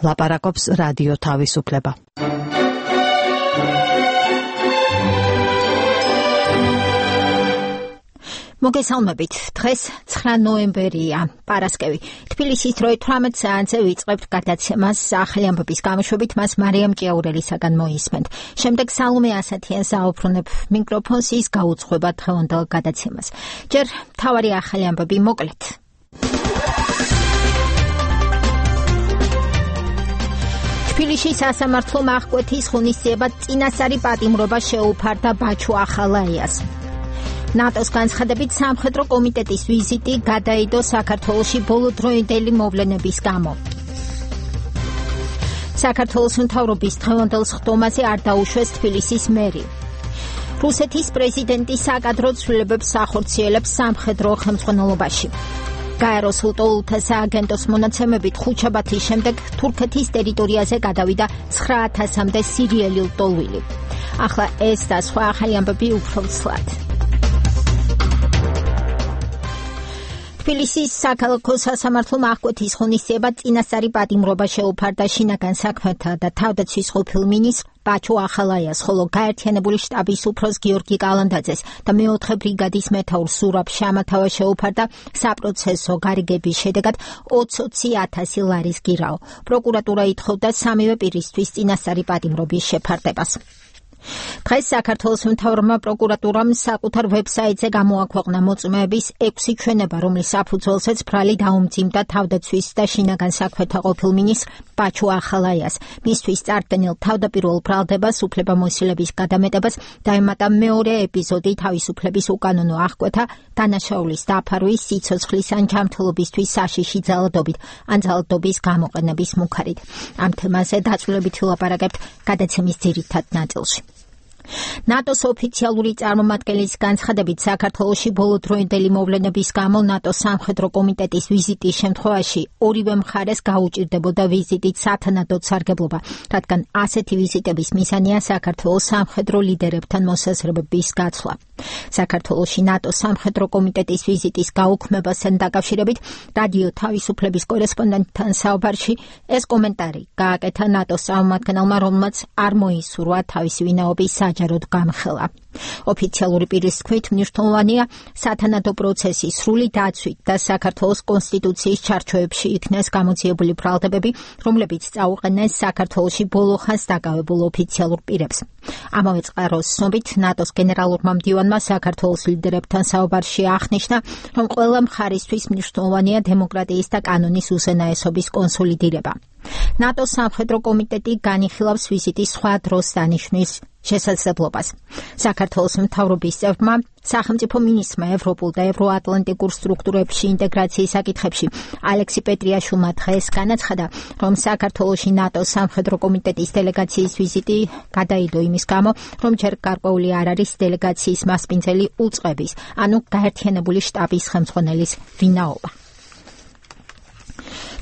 ლაპარაკობს რადიო თავისუფლება. მოგესალმებით. დღეს 9 ნოემბერია, პარასკევი. თბილისის დროით 18 საათზე ვიწყებთ გადაცემას ახალი ამბების გამოშვებით, მას მარიამ ჭიაურელისაგან მოისმენთ. შემდეგ სალომე ასათიანს აუბრუნებ მიკროფონს, ის გაუძღვება დღევანდელ გადაცემას. ჯერ მთავარი ახალი ამბები მოკლედ. თბილისის სასამართლო აღკვეთის ღონისძიებად წინასწარი პატიმრობა შეუფარდა ბაჩუ ახალაიას. ნატოს განცხადებით სამხედრო კომიტეტის ვიზიტი გადაიდო საქართველოში ბოლოდროინდელი მოვლენების გამო. საქართველოს მთავრობის დღევანდელ სხდომაზე არ დაუშვეს თბილისის მერი. რუსეთის პრეზიდენტი საკადრო ცვლილებებს ახორციელებს სამხედრო ხელმძღვანელობაში. გაეროს ლტოლთა სააგენტოს მონაცემებით ხუთშაბათის შემდეგ თურქეთის ტერიტორიაზე გადავიდა 9000-მდე სირიელი ლტოლვილი. ახლა ეს და სხვა ახალი ამბები უფრო ცლად. თბილისის საქალაქო სასამართლო აღკვეთის ღონისძიებად წინასწარი პატიმრობა შეუფარდა შინაგან საქმეთა და თავდაცვის ყოფილ მინისტრ ბაჩუ ახალაიას, ხოლო გაერთიანებული შტაბის უფროს გიორგი კალანდაძეს და მეოთხე ბრიგადის მეთაურ ზურაბ შამათავა შეუფარდა საპროცესო გარიგების შედეგად 20,000 ლარის გირაო. პროკურატურა ითხოვდა სამივე პირისთვის წინასწარი პატიმრობის შეფარდებას. დღეს საქართველოს მთავრობამ პროკურატურამ საკუთარ ვებსაიტზე გამოაქვეყნა მოწმეების 6 ჩვენება, რომლის საფუძველზეც ბრალი დაუმძიმდა თავდაცვის და შინაგან საქმეთა ყოფილ მინისტრ ბაჩუ ახალაიას. მისთვის წარდგენილ თავდაპირველ ბრალდებას უფლებამოსილების გადამეტებას დაემატა მეორე ეპიზოდი თავისუფლების უკანონო აღკვეთა, დანაშაულის დაფარვის, სიცოცხლის ან ჯანმრთელობისთვის საშიში ძალადობით ან ძალადობის გამოყენების მუქარით. ამ თემაზე დაწვრილებითი ვილაპარაკებთ გადაცემის ძირითად ნაწილში. ნატოს ოფიციალური წარმომადგენლის განცხადებით საქართველოში ბოლოდროინდელი მოვლენების გამო ნატოს სამხედრო კომიტეტის ვიზიტის შემთხვევაში ორივე მხარეს გაუჭირდებოდა ვიზიტით სათანადოდ სარგებლობა, რადგან ასეთი ვიზიტების მიზანია საქართველოს სამხედრო ლიდერებთან მოსაზრებების გაცვლა. საქართველოში ნატოს სამხედრო კომიტეტის ვიზიტის გაუქმებასთან დაკავშირებით რადიო თავისუფლების კორესპონდენტთან საუბარში ეს კომენტარი გააკეთა ნატოს წარმომადგენელმა, რომელმაც არ მოისურვა თავისი ვინაობის საჯაროდ გამხელა. ოფიციალური პირის თქმით, მნიშვნელოვანია სათანადო პროცესის სრული დაცვით და საქართველოს კონსტიტუციის ჩარჩოებში იქნეს გამოძიებული ბრალდებები, რომლებიც წაუყენეს საქართველოში ბოლო ხანს დაკავებულ ოფიციალურ პირებს. ამავე წყაროს ცნობით, ნატოს გენერალურმა მდივანმა საქართველოს ლიდერებთან საუბარში აღნიშნა, რომ ყველა მხარისთვის მნიშვნელოვანია დემოკრატიის და კანონის უზენაესობის კონსოლიდირება. ნატოს სამხედრო კომიტეტი განიხილავს ვიზიტის სხვა დროს დანიშვნის შესაძლებლობას. საქართველოს მთავრობის წევრმა სახელმწიფო მინისტრმა ევროპულ და ევროატლანტიკურ სტრუქტურებში ინტეგრაციის საკითხებში ალექსი პეტრიაშვილმა დღეს განაცხადა, რომ საქართველოში ნატოს სამხედრო კომიტეტის დელეგაციის ვიზიტი გადაიდო იმის გამო, რომ ჯერ გარკვეული არ არის დელეგაციის მასპინძელი უწყების, ანუ გაერთიანებული შტაბის ხელმძღვანელის ვინაობა.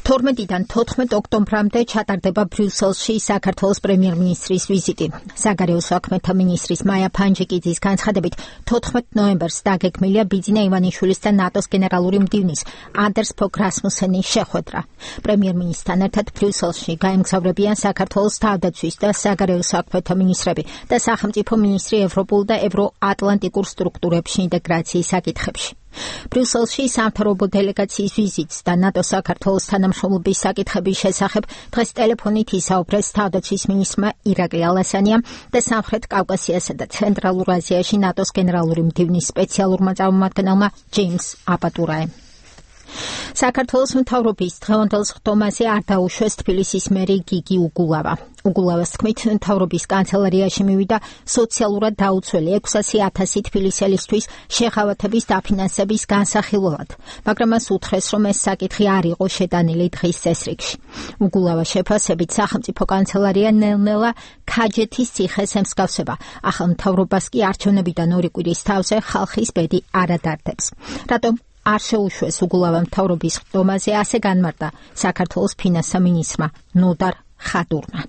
12-დან 14 ოქტომბრამდე ჩატარდება ბრიუსელში საქართველოს პრემიერ-მინისტრის ვიზიტი. საგარეო საქმეთა მინისტრის მაია ფანჯიკიძის განცხადებით 14 ნოემბერს დაგეგმილია ბიძინა ივანიშვილის და ნატოს გენერალური მდივნის ანდერს ფოგ რასმუსენის შეხვედრა. პრემიერ-მინისტრთან ერთად ბრიუსელში გაემგზავრებიან საქართველოს თავდაცვის და საგარეო საქმეთა მინისტრები და სახელმწიფო მინისტრი ევროპულ და ევროატლანტიკურ სტრუქტურებში ინტეგრაციის საკითხებში. ბრიუსელში სამთავრობო დელეგაციის ვიზიტს და ნატოს საქართველოს თანამშრომლობის საკითხების შესახებ დღეს ტელეფონით ისაუბრეს თავდაცვის მინისტრმა ირაკლი ალასანიამ და სამხრეთ კავკასიასა და ცენტრალურ აზიაში ნატოს გენერალური მდივნის სპეციალურმა წარმომადგენელმა ჯეიმს აპატურაემ. საქართველოს მთავრობის დღევანდელ სხდომაზე არ დაუშვეს თბილისის მერი გიგი უგულავა. უგულავას თქმით, მთავრობის კანცელარიაში მივიდა სოციალურად დაუცველი 600,000 თბილისელისთვის შეღავათების დაფინანსების განსახილველად, მაგრამ მას უთხრეს, რომ ეს საკითხი არ იყო შეტანილი დღის წესრიგში. უგულავა შეფასებით სახელმწიფო კანცელარია ნელ-ნელა ქაჯეთის ციხეს ემსგავსება, ახალ მთავრობას კი არჩევნებიდან 2 კვირის თავზე ხალხის ბედი არ ადარდებს. რატომ არ შეუშვეს უგულავა მთავრობის ხდომაზე, ასე განმარტა საქართველოს ფინანსთა მინისტრმა ნოდარ ხადურმა.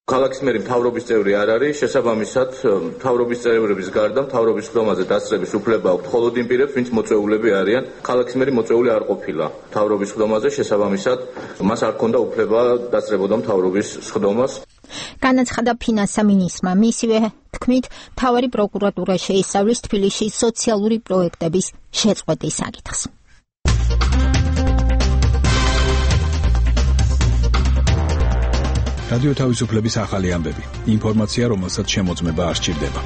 ქალაქის მერი მთავრობის წევრი არ არის, შესაბამისად მთავრობის წევრების გარდა მთავრობის ხდომაზე დასწრების უფლება აქვს მხოლოდ იმ პირებს, ვინც მოწვეულები არიან. ქალაქის მერი მოწვეული არ ყოფილა მთავრობის ხდომაზე, შესაბამისად მას არ ჰქონდა უფლება დასწრებოდა მთავრობის ხდომას. განაცხადა ფინანსთა მინისტრმა. მისივე თქმით, მთავარი პროკურატურა შეისწავლის თბილისში სოციალური პროექტების შეწყვეტის საკითხს. რადიო თავისუფლების ახალი ამბები. ინფორმაცია, რომელსაც შემოწმება არ სჭირდება.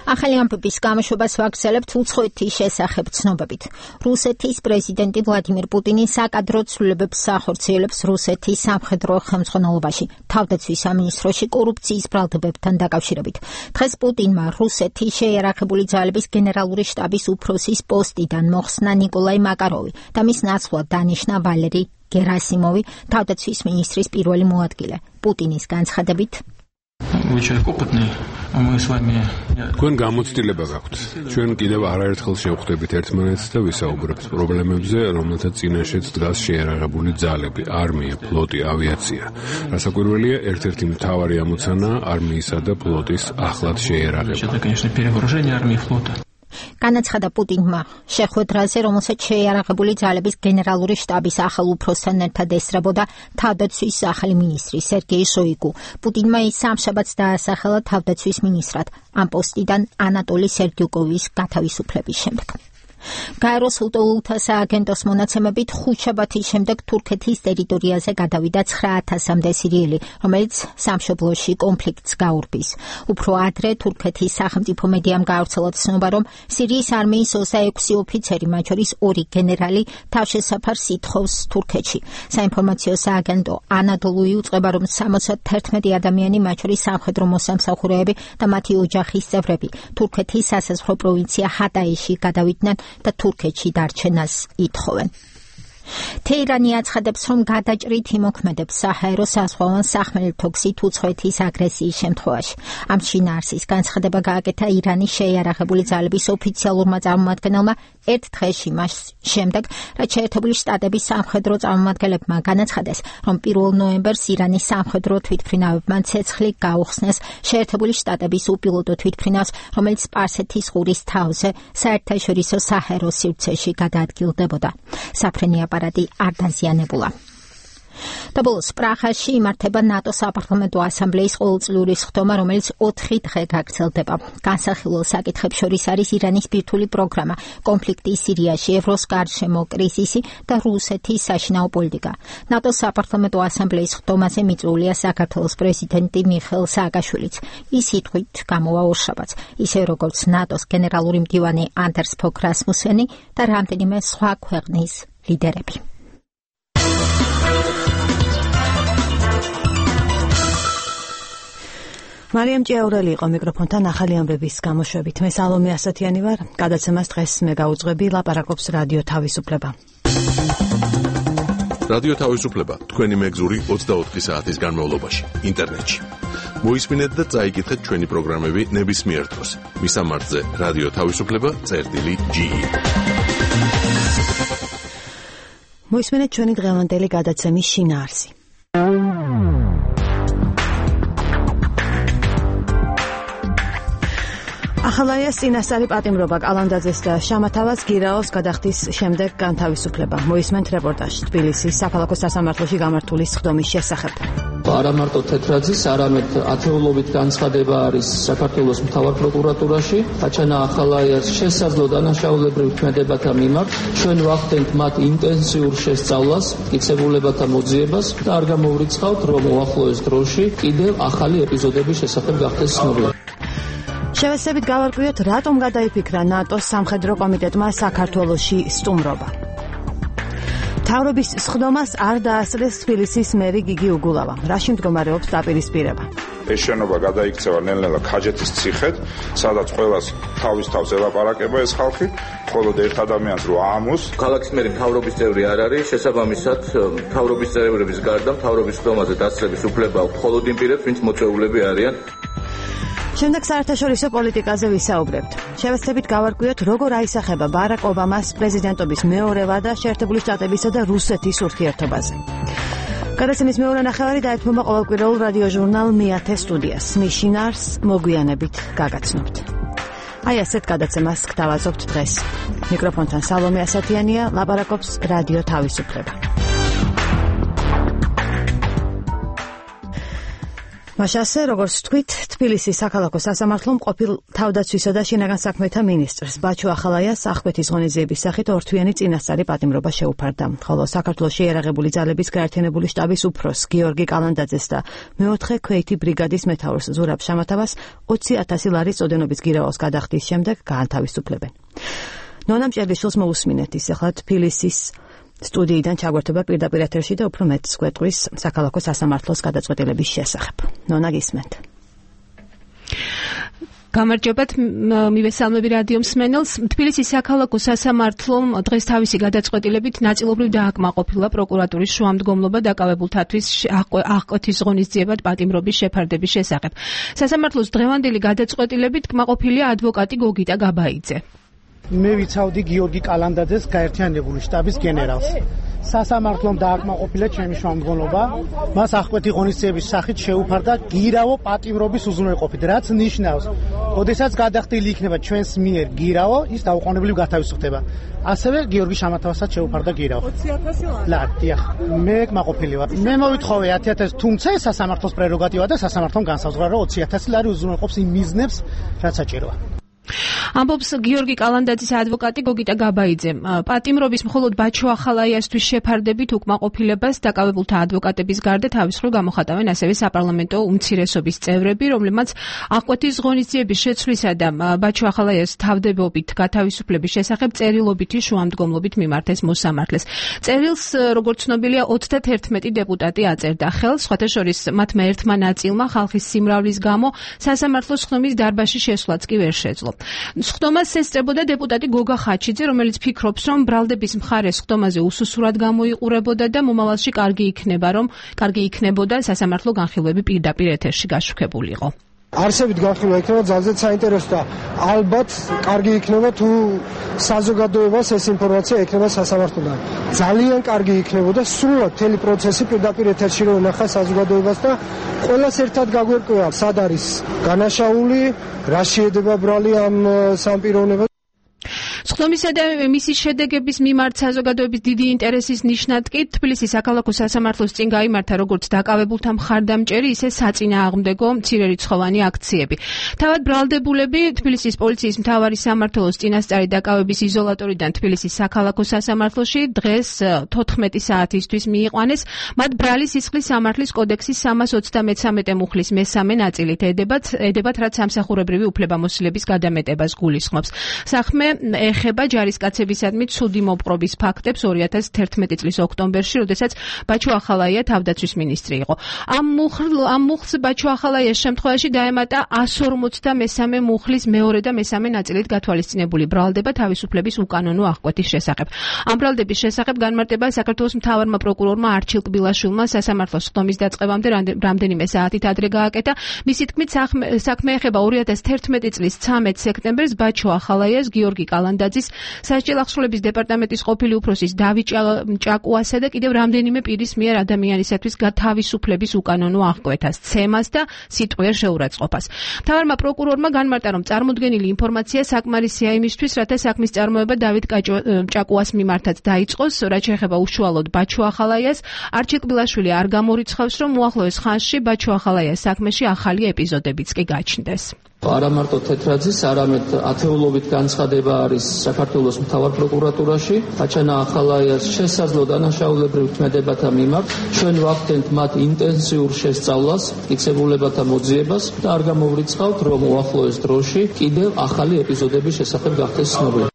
ახალი ამბების გამოშვებას ვაგრძელებთ უცხოეთის შესახებ ცნობებით. რუსეთის პრეზიდენტი ვლადიმირ პუტინი საკადრო ცვლილებებს ახორციელებს რუსეთის სამხედრო ხელმძღვანელობაში, თავდაცვის სამინისტროში კორუფციის ბრალდებებთან დაკავშირებით. დღეს პუტინმა რუსეთის შეიარაღებული ძალების გენერალური შტაბის უფროსის პოსტიდან მოხსნა ნიკოლაი მაკაროვი და მის ნაცვლად დანიშნა ვალერი გერასიმოვი, თავდაცვის მინისტრის პირველი მოადგილე. პუტინის განცხადებით თქვენ გამოცდილება გაქვთ. ჩვენ კიდევ არაერთხელ შევხვდებით ერთმანეთს და ვისაუბრებთ პრობლემებზე, რომელთაც წინაშეც დგას შეიარაღებული ძალები, არმია, ფლოტი, ავიაცია. რასაკვირველია, ერთ-ერთი მთავარი ამოცანა არმიისა და ფლოტის ახლად შეიარაღება. განაცხადა პუტინმა შეხვედრაზე, რომელსაც შეიარაღებული ძალების გენერალური შტაბის ახალ უფროსთან ერთად ესწრებოდა თავდაცვის ახალი მინისტრი სერგეი შოიგუ. პუტინმა ის სამშაბათს დაასახელა თავდაცვის მინისტრად ამ პოსტიდან ანატოლი სერგიუკოვის გათავისუფლების შემდეგ. გაეროს უტოლულთა სააგენტოს მონაცემებით ხუთშაბათის შემდეგ თურქეთის ტერიტორიაზე გადავიდა 9,000-მდე სირიელი, რომელიც სამშობლოში კონფლიქტს გაურბის. უფრო ადრე თურქეთის სახელმწიფო მედიამ გაავრცელა ცნობა, რომ სირიის არმიის 26 ოფიცერი, მათ შორის 2 გენერალი, თავშესაფარს ითხოვს თურქეთში. საინფორმაციო სააგენტო ანადოლუ იუწყება, რომ 71 ადამიანი, მათ შორის სამხედრო მოსამსახურეები და მათი ოჯახის წევრები, თურქეთის სასაზღვრო პროვინცია ჰატაიში გადავიდნენ და თურქეთში დარჩენას ითხოვენ. თეირანი აცხადებს, რომ გადაჭრით იმოქმედებს საჰაერო საზღვაო სახმელეთო გზით უცხოეთის აგრესიის შემთხვევაში. ამ შინაარსის განცხადება გააკეთა ირანის შეიარაღებული ძალების ოფიციალურმა წარმომადგენელმა ერთ დღეში მას შემდეგ, რაც შეერთებული შტატების სამხედრო წარმომადგენლებმა განაცხადეს, რომ 1 ნოემბერს ირანის სამხედრო თვითმფრინავებმა ცეცხლი გაუხსნეს შეერთებული შტატების უპილოტო თვითმფრინავს, რომელიც სპარსეთის ყურის თავზე საერთაშორისო საჰაერო სივრცეში გადაადგილდებოდა. საფრენი აპარატი არ დაზიანებულა. და ბოლოს პრაღაში იმართება ნატო საპარლამენტო ასამბლეის ყოველწლიური სხდომა, რომელიც 4 დღე გაგრძელდება. განსახილველ საკითხებს შორის არის ირანის ბირთვული პროგრამა, კონფლიქტი სირიაში, ევროს გარშემო კრიზისი და რუსეთის საშინაო პოლიტიკა. ნატოს საპარლამენტო ასამბლეის სხდომაზე მიწვეულია საქართველოს პრეზიდენტი მიხეილ სააკაშვილიც. ის სიტყვით გამოვა ორშაბათს, ისე როგორც ნატოს გენერალური მდივანი ანდერს ფოგ რასმუსენი და რამდენიმე სხვა ქვეყნის ლიდერები. მარიამ ჭიაურელი იყო მიკროფონთან ახალი ამბების გამოშვებით. მე სალომე ასათიანი ვარ. გადაცემას დღეს მე გაუძღვები, ლაპარაკობს რადიო თავისუფლება. რადიო თავისუფლება თქვენი მეგზური 24 საათის განმავლობაში ინტერნეტში. მოისმინეთ და წაიკითხეთ ჩვენი პროგრამები ნებისმიერ დროს. მისამართზე რადიო თავისუფლება.ge. მოისმინეთ ჩვენი დღევანდელი გადაცემის შინაარსი. ახალაიას წინასწარი პატიმრობა კალანდაძეს და შამათავას გირაოს გადახდის შემდეგ განთავისუფლება. მოისმენთ რეპორტაჟი თბილისის საქალაქო სასამართლოში გამართული სხდომის შესახებ. არა მარტო თეთრაძის, არამედ ათეულობით განცხადება არის საქართველოს მთავარ პროკურატურაში. აჩანა ახალაიას შესაძლო დანაშაულებრივ ქმედებათა მიმართ. ჩვენ ვახდენთ მათ ინტენსიურ შესწავლას, მტკიცებულებათა მოძიებას და არ გამოვრიცხავთ, რომ უახლოეს დროში კიდევ ახალი ეპიზოდების შესახებ გახდეს ცნობილი. შევეცდებით გავარკვიოთ, რატომ გადაიფიქრა ნატოს სამხედრო კომიტეტმა საქართველოში სტუმრობა. მთავრობის სხდომას არ დაასწრეს თბილისის მერი გიგი უგულავა. რაში მდგომარეობს დაპირისპირება? ეს შენობა გადაიქცევა ნელ-ნელა ქაჯეთის ციხედ, სადაც ყველას თავის თავს ელაპარაკება ეს ხალხი, მხოლოდ ერთ ადამიანს რო აამოს. ქალაქის მერი მთავრობის წევრი არ არის, შესაბამისად მთავრობის წევრების გარდა მთავრობის სხდომაზე დასწრების უფლება აქვს მხოლოდ იმ პირებს, ვინც მოწვეულები არიან. შემდეგ საერთაშორისო პოლიტიკაზე ვისაუბრებთ. შევეცდებით გავარკვიოთ, როგორ აისახება ბარაკ ობამას პრეზიდენტობის მეორე ვადა შეერთებული შტატებისა და რუსეთის ურთიერთობაზე. გადაცემის მეორე ნახევარი დაეთმობა ყოველკვირეულ რადიო ჟურნალ მეათე სტუდიას. მის შინაარსს მოგვიანებით გაგაცნობთ. აი ასეთ გადაცემას გთავაზობთ დღეს. მიკროფონთან სალომე ასათიანია, ლაპარაკობს რადიო თავისუფლება. მაშასე, როგორც თქვით, თბილისის საქალაქო სასამართლომ ყოფილ თავდაცვისა და შინაგან საქმეთა მინისტრს ბაჩო ახალაიას აღკვეთის ღონისძიების სახით ორთვიანი წინასწარი პატიმრობა შეუფარდა, ხოლო საქართველოში ერაღებული ძალების გაერთიანებული შტაბის უფროს გიორგი კალანდაძეს და მეოთხე ქვეითი ბრიგადის მეთაურს ზურაბ შამათავას 20,000 ლარის წოდენობის გირაოს გადახდის შემდეგ გაანთავისუფლებენ. ნონა მჭედლიშვილს მოусმინეთ ის ახლა თბილისის სტუდიიდან ჩაგვერთება პირდაპირ ეთერში და უფრო მეტს გვეტყვის საქალაქო სასამართლოს გადაწყვეტილების შესახებ. ნონა, გისმენთ. გამარჯობათ, მივესალმები რადიო მსმენელს. თბილისის საქალაქო სასამართლომ დღეს თავისი გადაწყვეტილებით ნაწილობრივ დააკმაყოფილა პროკურატურის შუამდგომლობა დაკავებულთათვის აღკვეთის ღონისძიებად პატიმრობის შეფარდების შესახებ. სასამართლოს დღევანდელი გადაწყვეტილებით კმაყოფილია ადვოკატი გოგიტა გაბაიძე. მე ვიცავდი გიორგი კალანდაძეს გაერთიანებული შტაბის გენერალს. სასამართლომ დააკმაყოფილა ჩემი შუამდგომლობა, მას აღკვეთი ღონისძიების სახით შეუფარდა გირავო პატიმრობის უზრუნველყოფით, რაც ნიშნავს, ოდესაც გადახდილი იქნება ჩვენს მიერ გირავო, ის დაუყოვნებლივ გათავისუფლდება. ასევე გიორგი შამათავასაც შეუფარდა გირავო. 20,000 ლარი. დიახ, მე კმაყოფილი ვარ. მე მოვითხოვე 10,000, თუმცა ეს სასამართლოს პრეროგატივა და სასამართლომ განსაზღვრა, რომ 20,000 ლარი უზრუნველყოფს იმ მიზნებს, რაც საჭიროა. ამბობს გიორგი კალანდაძის ადვოკატი გოგიტა გაბაიძე. პატიმრობის მხოლოდ ბაჩო ახალაიასთვის შეფარდებით უკმაყოფილებას დაკავებულთა ადვოკატების გარდა თავის მხრივ გამოხატავენ ასევე საპარლამენტო უმცირესობის წევრები, რომლებმაც აღკვეთის ღონისძიების შეცვლისა და ბაჩო ახალაიას თავდებობით გათავისუფლების შესახებ წერილობითი შუამდგომლობით მიმართეს მოსამართლეს. წერილს, როგორც ცნობილია, 31 დეპუტატი აწერდა ხელს, სხვათა შორის მათმა ერთმა ნაწილმა ხალხის სიმრავლის გამო სასამართლოს ხდომის დარბაზში შესვლაც კი ვერ შეძლო. ხდომას ესწრებოდა დეპუტატი გოგა ხაჩიძე, რომელიც ფიქრობს, რომ ბრალდების მხარეს ხდომაზე უსუსურად გამოიყურებოდა და მომავალში კარგი იქნებოდა სასამართლო განხილვები პირდაპირ ეთერში გაშუქებულიყო. არსებით განხილვა იქნება ძალზედ საინტერესო და ალბათ კარგი იქნება თუ საზოგადოებას ეს ინფორმაცია ექნება სასამართლოდან. ძალიან კარგი იქნებოდა სრულად მთელი პროცესი პირდაპირ ეთერში რომ ენახა საზოგადოებას და ყველას ერთად გაგვერკვია, სად არის განაშაული, რა შეედება ბრალი ამ სამპიროვნებას. ხდომისა და მისი შედეგების მიმართ საზოგადოების დიდი ინტერესის ნიშნად კი თბილისის საქალაქო სასამართლოს წინ გაიმართა როგორც დაკავებულთა მხარდამჭერი, ისე საწინააღმდეგო მცირერიცხოვანი აქციები. თავად ბრალდებულები თბილისის პოლიციის მთავარი სამმართველოს წინასწარი დაკავების იზოლატორიდან თბილისის საქალაქო სასამართლოში დღეს 14 საათისთვის მიიყვანეს. მათ ბრალი სისხლის სამართლის კოდექსის 323 მუხლის მესამე ნაწილით ედებათ, რაც სამსახურებრივი უფლებამოსილების გადამეტებას გულისხმობს. საქმე ეხება ჯარისკაცებისადმი ცუდი მოპყრობის ფაქტებს 2011 წლის ოქტომბერში, როდესაც ბაჩო ახალაია თავდაცვის მინისტრი იყო. ამ მუხლს ბაჩო ახალაიას შემთხვევაში დაემატა 153 მუხლის მეორე და მესამე ნაწილით გათვალისწინებული ბრალდება თავისუფლების უკანონო აღკვეთის შესახებ. ამ ბრალდების შესახებ განმარტება საქართველოს მთავარმა პროკურორმა არჩილ კბილაშვილმა სასამართლოს ხდომის დაწყებამდე რამდენიმე საათით ადრე გააკეთა. მისი თქმით, საქმე ეხება 2011 წლის 13 სექტემბერს ბაჩო ახალაიას, გიორგი კალანდაძის, სასჯელ აღსრულების დეპარტამენტის ყოფილი უფროსის დავით ჭაკუასა და კიდევ რამდენიმე პირის მიერ ადამიანისათვის თავისუფლების უკანონო აღკვეთას, ცემას და სიტყვიერ შეურაცხყოფას. მთავარმა პროკურორმა განმარტა, რომ წარმოდგენილი ინფორმაცია საკმარისია იმისთვის, რათა საქმის წარმოება დავით ჭაკუას მიმართაც დაიწყოს, რაც შეეხება უშუალოდ ბაჩო ახალაიას. არჩილ კბილაშვილი არ გამორიცხავს, რომ უახლოეს ხანში ბაჩო ახალაიას საქმეში ახალი ეპიზოდებიც კი გაჩნდეს. არა მარტო თეთრაძის, არამედ ათეულობით განცხადება არის საქართველოს მთავარ პროკურატურაში. აჩანა ახალაიას შესაძლო დანაშაულებრივ ქმედებათა მიმართ ჩვენ ვახდენთ მათ ინტენსიურ შესწავლას, მტკიცებულებათა მოძიებას და არ გამოვრიცხავთ, რომ უახლოეს დროში კიდევ ახალი ეპიზოდების შესახებ გახდეს ცნობილი.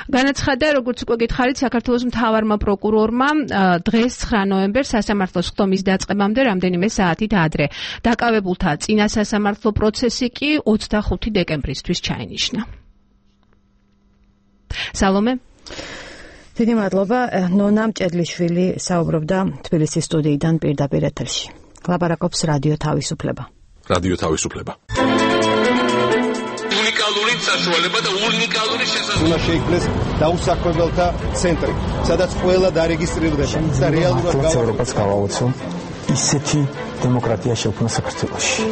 განაცხადა, როგორც უკვე გითხარით, საქართველოს მთავარმა პროკურორმა დღეს 9 ნოემბერს სასამართლოს ხდომის დაწყებამდე რამდენიმე საათით ადრე. დაკავებულთა წინა სასამართლო პროცესი კი 25 დეკემბრისთვის ჩაინიშნა. სალომე. დიდი მადლობა. ნონა მჭედლიშვილი საუბრობდა თბილისის სტუდიიდან პირდაპირ ეთერში. ლაპარაკობს რადიო თავისუფლება. რადიო თავისუფლება. უნიკალური საშუალება და უნიკალური შესაძლებლობა. უნდა შეიქმნეს დაუსაქმებელთა ცენტრი, სადაც ყველა დარეგისტრირდება და რეალურად ევროპას გავაოცო ისეთი დემოკრატია შექმნა საქართველოში.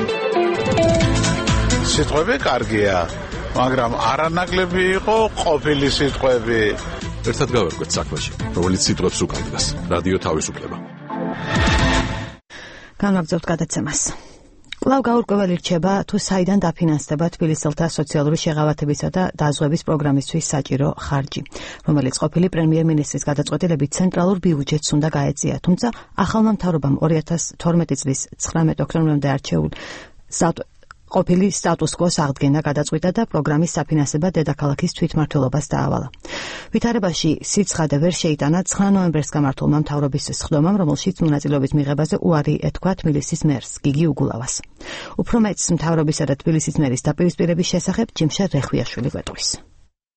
სიტყვები კარგია, მაგრამ არანაკლები იყო ყოფილი სიტყვები. ერთად გავერკვეთ საქმეში, რომელიც სიტყვებს უკავშირდება. რადიო თავისუფლება. განვაგრძობთ გადაცემას. კვლავ გაურკვეველი რჩება, თუ საიდან დაფინანსდება თბილისელთა სოციალური შეღავათებისა და დაზღვევის პროგრამისთვის საჭირო ხარჯი, რომელიც ყოფილი პრემიერ-მინისტრის გადაწყვეტილებით ცენტრალურ ბიუჯეტს უნდა გაეწია, თუმცა ახალმა მთავრობამ 2012 წლის 19 ოქტომბრამდე არჩეულ ყოფილი სტატუს-კვოს აღდგენა გადაწყვიტა და პროგრამის საფინანსება დედაქალაქის თვითმმართველობას დაავალა. ვითარებაში სიცხადე ვერ შეიტანა 9 ნოემბერს გამართულმა მთავრობის სხდომამ, რომელშიც მონაწილეობის მიღებაზე უარი ეთქვა თბილისის მერს გიგი უგულავას. უფრო მეც მთავრობისა და თბილისის მერის დაპირისპირების შესახებ ჯიმშა რეხვიაშვილი გვეტყვის.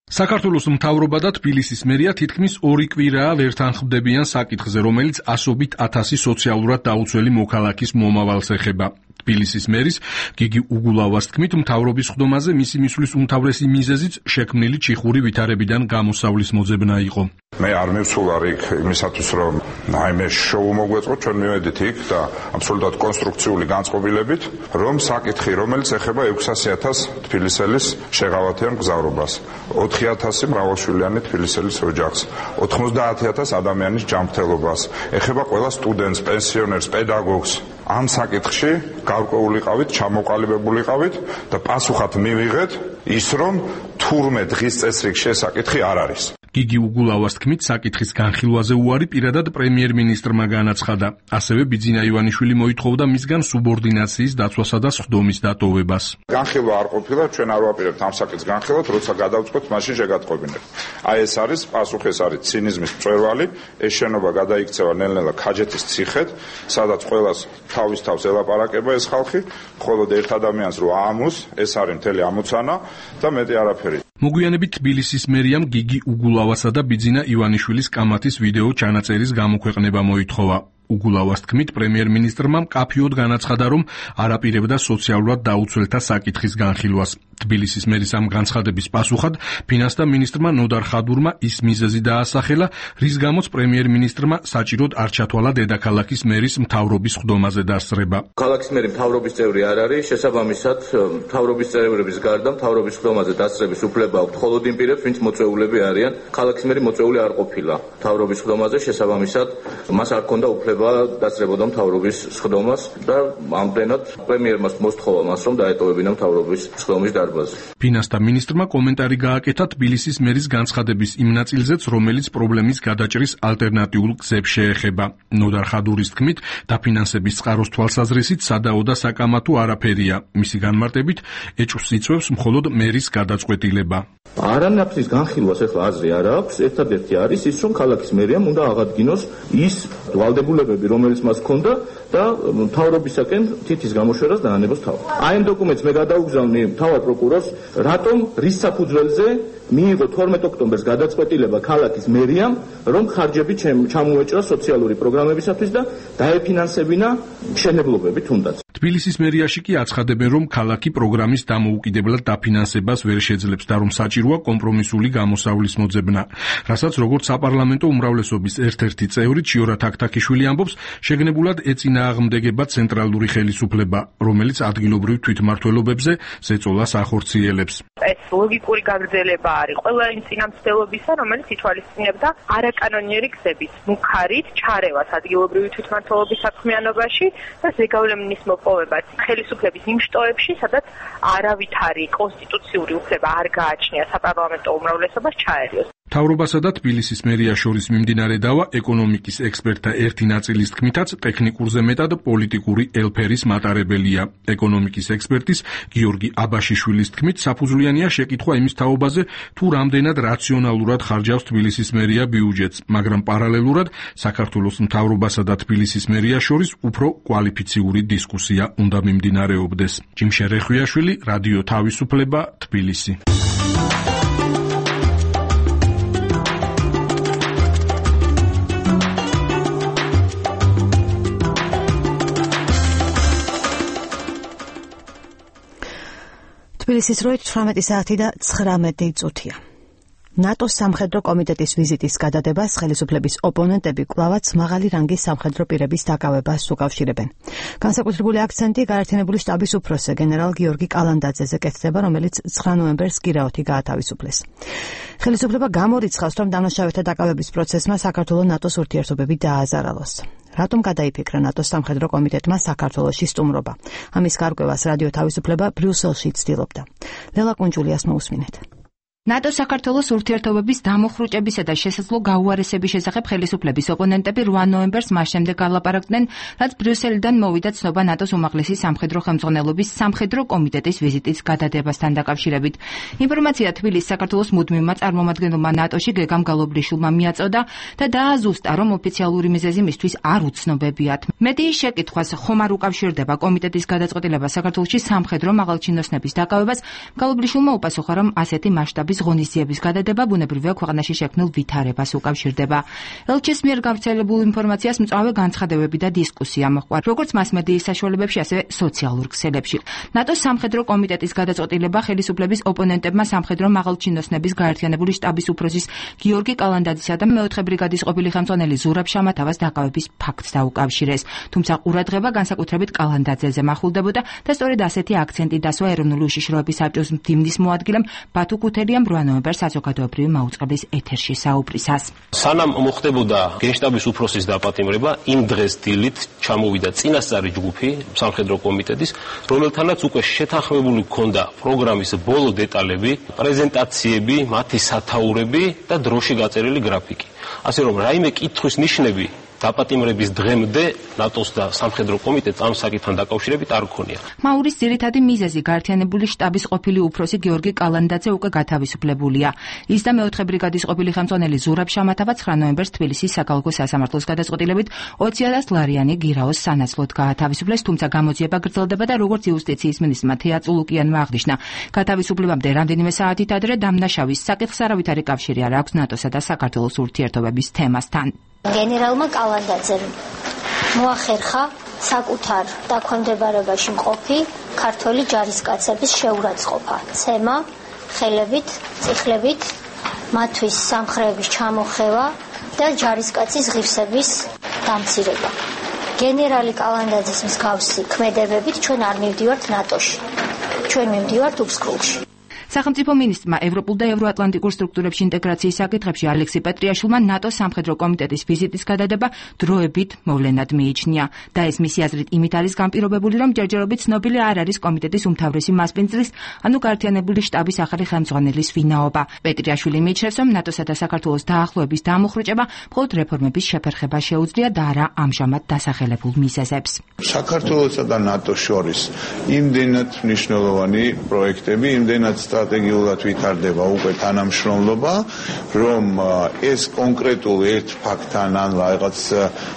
საქართველოს მთავრობა და თბილისის მერია თითქმის 2 კვირაა ვერ თანხმდებიან საკითხზე, რომელიც ასობით ათასი სოციალურად დაუცველი მოქალაქის მომავალს ეხება. თბილისის მერის გიგი უგულავას თქმით, მთავრობის სხდომაზე მისი მისვლის უმთავრესი მიზეზიც შექმნილი ჩიხური ვითარებიდან გამოსავლის მოძებნა იყო. მე არ მივსულა იქ იმისათვის, რომ აიმე შოუ მოგვეწყოთ, ჩვენ მივედით იქ და აბსოლუტურად კონსტრუქციული განწყობილებით, რომ საკითხი, რომელიც ეხება 600,000 თბილისელის შეღავათიან მგზავრობას, 4,000 მრავალშვილიანი თბილისელის ოჯახს, 90,000 ადამიანის ჯანმრთელობას, ეხება ყველა სტუდენტს, პენსიონერს, პედაგოგს. ამ საკითხში გარკვეულიყავით, ჩამოყალიბებულიყავით და პასუხად მივიღეთ ის, რომ თურმე დღის წესრიგ შესაკითხი არ არის. გიგი უგულავას თქმით, საკითხის განხილვაზე უარი პირადად პრემიერ-მინისტრმა განაცხადა. ასევე ბიძინა ივანიშვილი მოითხოვდა მისგან სუბორდინაციის დაცვასა და სხდომის დატოვებას. განხილვა არ ყოფილა, ჩვენ არ ვაპირებთ ამ საკითხს განხილვათ, როცა გადავწყვეტ, მაშინ შეგატყობინებთ. აი ეს არის პასუხი, ეს არის ცინიზმის მწვერვალი, ეს შენობა გადაიქცევა ნელ-ნელა ქაჯეთის ციხედ, სადაც ყველას თავის თავს ელაპარაკება ეს ხალხი, მხოლოდ ერთ ადამიანს რო აამოს, ეს არის მთელი ამოცანა და მეტი არაფერი. მოგვიანებით თბილისის მერიამ გიგი უგულავასა და ბიძინა ივანიშვილის კამათის ვიდეო ჩანაწერის გამოქვეყნება მოითხოვა. უგულავას თქმით, პრემიერ-მინისტრმა მკაფიოდ განაცხადა, რომ არ აპირებდა სოციალურად დაუცველთა საკითხის განხილვას. თბილისის მერის ამ განცხადების პასუხად ფინანსთა მინისტრმა ნოდარ ხადურმა ის მიზეზი დაასახელა, რის გამოც პრემიერ-მინისტრმა საჭიროდ არ ჩათვალა დედაქალაქის მერის მთავრობის სხდომაზე დასწრება. ქალაქის მერი მთავრობის წევრი არ არის, შესაბამისად მთავრობის წევრების გარდა მთავრობის სხდომაზე დასწრების უფლება აქვს მხოლოდ იმ პირებს, ვინც მოწვეულები არიან. ქალაქის მერი მოწვეული არ ყოფილა მთავრობის სხდომაზე, შესაბამისად მას არ ჰქონდა უფლება დასწრებოდა მთავრობის სხდომას და ამდენად პრემიერმა მოსთხოვა მას, რომ დაეტოვებინა მთავრობის სხდომის დარბაზი. ფინანსთა მინისტრმა კომენტარი გააკეთა თბილისის მერის განცხადების იმ ნაწილზეც, რომელიც პრობლემის გადაჭრის ალტერნატიულ გზებს შეეხება. ნოდარ ხადურის თქმით, დაფინანსების წყაროს თვალსაზრისით სადაო და საკამათო არაფერია. მისი განმარტებით, ეჭვს იწვევს მხოლოდ მერის გადაწყვეტილება. არანაკლის განხილვას ახლა აზრი არ აქვს. ერთადერთი არის ის, რომ ქალაქის მერიამ უნდა აღადგინოს ის ვალდებულებები, რომელიც მას ჰქონდა და მთავრობისაკენ თითის გამოშვერას დაანებოს თავი. აი ამ დოკუმენტს მე გადაუგზავნი მთავარ პროკურორს, რატომ რის საფუძველზე მიიღო 12 ოქტომბერს გადაწყვეტილება ქალაქის მერიამ, რომ ხარჯები ჩამოეჭრა სოციალური პროგრამებისათვის და დაეფინანსებინა მშენებლობები თუნდაც. თბილისის მერიაში კი აცხადებენ, რომ ქალაქი პროგრამის დამოუკიდებლად დაფინანსებას ვერ შეძლებს და რომ საჭიროა კომპრომისული გამოსავლის მოძებნა. რასაც როგორც საპარლამენტო უმრავლესობის ერთ-ერთი წევრი ჩიორა თაქთაქიშვილი ამბობს, შეგნებულად ეწინააღმდეგება ცენტრალური ხელისუფლება, რომელიც ადგილობრივ თვითმმართველობებზე ზეწოლას ახორციელებს. ეს ლოგიკური გაგრძელება არის ყველა იმ წინამძღოლობისა, რომელიც ითვალისწინებდა არაკანონიერი გზების მუქარით ჩარევას ადგილობრივი თვითმმართველობის საქმიანობაში და ზეგავლენის მოპოვებას ხელისუფლების იმ შტოებში, სადაც არავითარი კონსტიტუციური უფლება არ გააჩნია საპარლამენტო უმრავლესობას ჩაერიოს. მთავრობასა და თბილისის მერიას შორის მიმდინარე დავა ეკონომიკის ექსპერტთა ერთი ნაწილის თქმითაც ტექნიკურზე მეტად პოლიტიკური ელფერის მატარებელია. ეკონომიკის ექსპერტის გიორგი აბაშიშვილის თქმით, საფუძვლიანია შეკითხვა იმის თაობაზე, თუ რამდენად რაციონალურად ხარჯავს თბილისის მერია ბიუჯეტს, მაგრამ პარალელურად საქართველოს მთავრობასა და თბილისის მერიას შორის უფრო კვალიფიციური დისკუსია უნდა მიმდინარეობდეს. ჯიმშა რეხვიაშვილი, რადიო თავისუფლება, თბილისი. თბილისის დროით 18 საათი და 19 წუთია. ნატოს სამხედრო კომიტეტის ვიზიტის გადადებას ხელისუფლების ოპონენტები კვლავაც მაღალი რანგის სამხედრო პირების დაკავებას უკავშირებენ. განსაკუთრებული აქცენტი გაერთიანებული შტაბის უფროსზე გენერალ გიორგი კალანდაძეზე კეთდება, რომელიც 9 ნოემბერს გირაოთი გაათავისუფლეს. ხელისუფლება გამორიცხავს, რომ დამნაშავეთა დაკავების პროცესმა საქართველოს ნატოს ურთიერთობები დააზარალოს. რატომ გადაიფიქრა ნატოს სამხედრო კომიტეტმა საქართველოში სტუმრობა? ამის გარკვევას რადიო თავისუფლება ბრიუსელში ცდილობდა. ლელა კუნჯულიას მოусმინეთ. ნატოს საქართველოს ურთიერთობების დამუხრუჭებისა და შესაძლო გაუარესების შესახებ ხელისუფლების ოპონენტები 8 ნოემბერს მას შემდეგ გალაპარაკდნენ, რაც ბრიუსელიდან მოვიდა ცნობა ნატოს უმაღლესი სამხედრო ხელმძღვანელობის სამხედრო კომიტეტის ვიზიტის გადადებასთან დაკავშირებით. ინფორმაცია თბილისის საქართველოს მუდმივმა წარმომადგენელმა ნატოში გეგამ გალობრიშვილმა მიაწოდა და დააზუსტა, რომ ოფიციალური მიზეზი მისთვის არ უცნობებიათ. მედიის შეკითხვას ხომ არ უკავშირდება კომიტეტის გადაწყვეტილება საქართველოში სამხედრო მაღალჩინოსნების დაკავებას, გალობრიშვილმა უპასუხა, რომ ასეთი მასშტაბის ღონისძიების გადადება ბუნებრივია ქვეყანაში შექმნილ ვითარებას უკავშირდება. ელჩის მიერ გავრცელებულ ინფორმაციას მწვავე განცხადებები და დისკუსია მოჰყვა, როგორც მასმედიის საშუალებებში, ასევე სოციალურ ქსელებში. ნატოს სამხედრო კომიტეტის გადაწყვეტილება ხელისუფლების ოპონენტებმა სამხედრო მაღალჩინოსნების გაერთიანებული შტაბის უფროსის გიორგი კალანდაძისა და მეოთხე ბრიგადის ყოფილი ხელმძღვანელი ზურაბ შამათავას დაკავების ფაქტს დაუკავშირეს. თუმცა ყურადღება განსაკუთრებით კალანდაძეზე მახულდებოდა და სწორედ ასეთი აქცენტი დასვა ეროვნული უშიშროების საბჭოს მდივნის მოადგილემ ბათუ ქუთერიამ 8 ნოემბერს საზოგადოებრივი მაუწყებლის ეთერში საუბრისას. სანამ მოხდებოდა გენშტაბის უფროსის დაპატიმრება, იმ დღეს დილით ჩამოვიდა წინასწარი ჯგუფი სამხედრო კომიტეტის, რომელთანაც უკვე შეთანხმებული ჰქონდა პროგრამის ბოლო დეტალები, პრეზენტაციები, მათი სათაურები და დროში გაწერილი გრაფიკი. ასე რომ რაიმე კითხვის ნიშნები დაპატიმრების დღემდე ნატოს და სამხედრო კომიტეტს ამ საკითხთან დაკავშირებით არ ქონია. მაურის ძირითადი მიზეზი გაერთიანებული შტაბის ყოფილი უფროსი გიორგი კალანდაძე უკვე გათავისუფლებულია. ის და მეოთხე ბრიგადის ყოფილი ხელმძღვანელი ზურაბ შამათავა 9 ნოემბერს თბილისის საქალაქო სასამართლოს გადაწყვეტილებით 20,000 ლარიანი გირაოს სანაცვლოდ გაათავისუფლეს, თუმცა გამოძიება გრძელდება და როგორც იუსტიციის მინისტრმა თეა წულუკიანმა აღნიშნა, გათავისუფლებამდე რამდენიმე საათით ადრე დამნაშავის საკითხს არავითარი კავშირი არ აქვს ნატოსა და საქართველოს ურთიერთობების თემასთან. გენერალმა კალანდაძემ მოახერხა საკუთარ დაქვემდებარებაში მყოფი ქართველი ჯარისკაცების შეურაცხყოფა, ცემა, ხელებით, წიხლებით, მათთვის სამხრეების ჩამოხევა და ჯარისკაცის ღირსების დამცირება. გენერალი კალანდაძის მსგავსი ქმედებებით ჩვენ არ მივდივართ ნატოში. ჩვენ მივდივართ უბსკრულში. სახელმწიფო მინისტრმა ევროპულ და ევროატლანტიკურ სტრუქტურებში ინტეგრაციის საკითხებში ალექსი პეტრიაშვილმა ნატოს სამხედრო კომიტეტის ვიზიტის გადადება დროებით მოვლენად მიიჩნია და ეს მისი აზრით იმით არის განპირობებული, რომ ჯერჯერობით ცნობილი არ არის კომიტეტის უმთავრესი მასპინძლის, ანუ გაერთიანებული შტაბის ახალი ხელმძღვანელის ვინაობა. პეტრიაშვილი მიიჩნევს, რომ ნატოსა და საქართველოს დაახლოების დამუხრუჭება მხოლოდ რეფორმების შეფერხება შეუძლია და არა ამჟამად დასახელებულ მიზეზებს. საქართველოსა და ნატოს შორის იმდენად მნიშვნელოვანი პროექტები, იმდენად სტრატეგიულად ვითარდება უკვე თანამშრომლობა, რომ ეს კონკრეტულ ერთ ფაქტთან ან რაღაც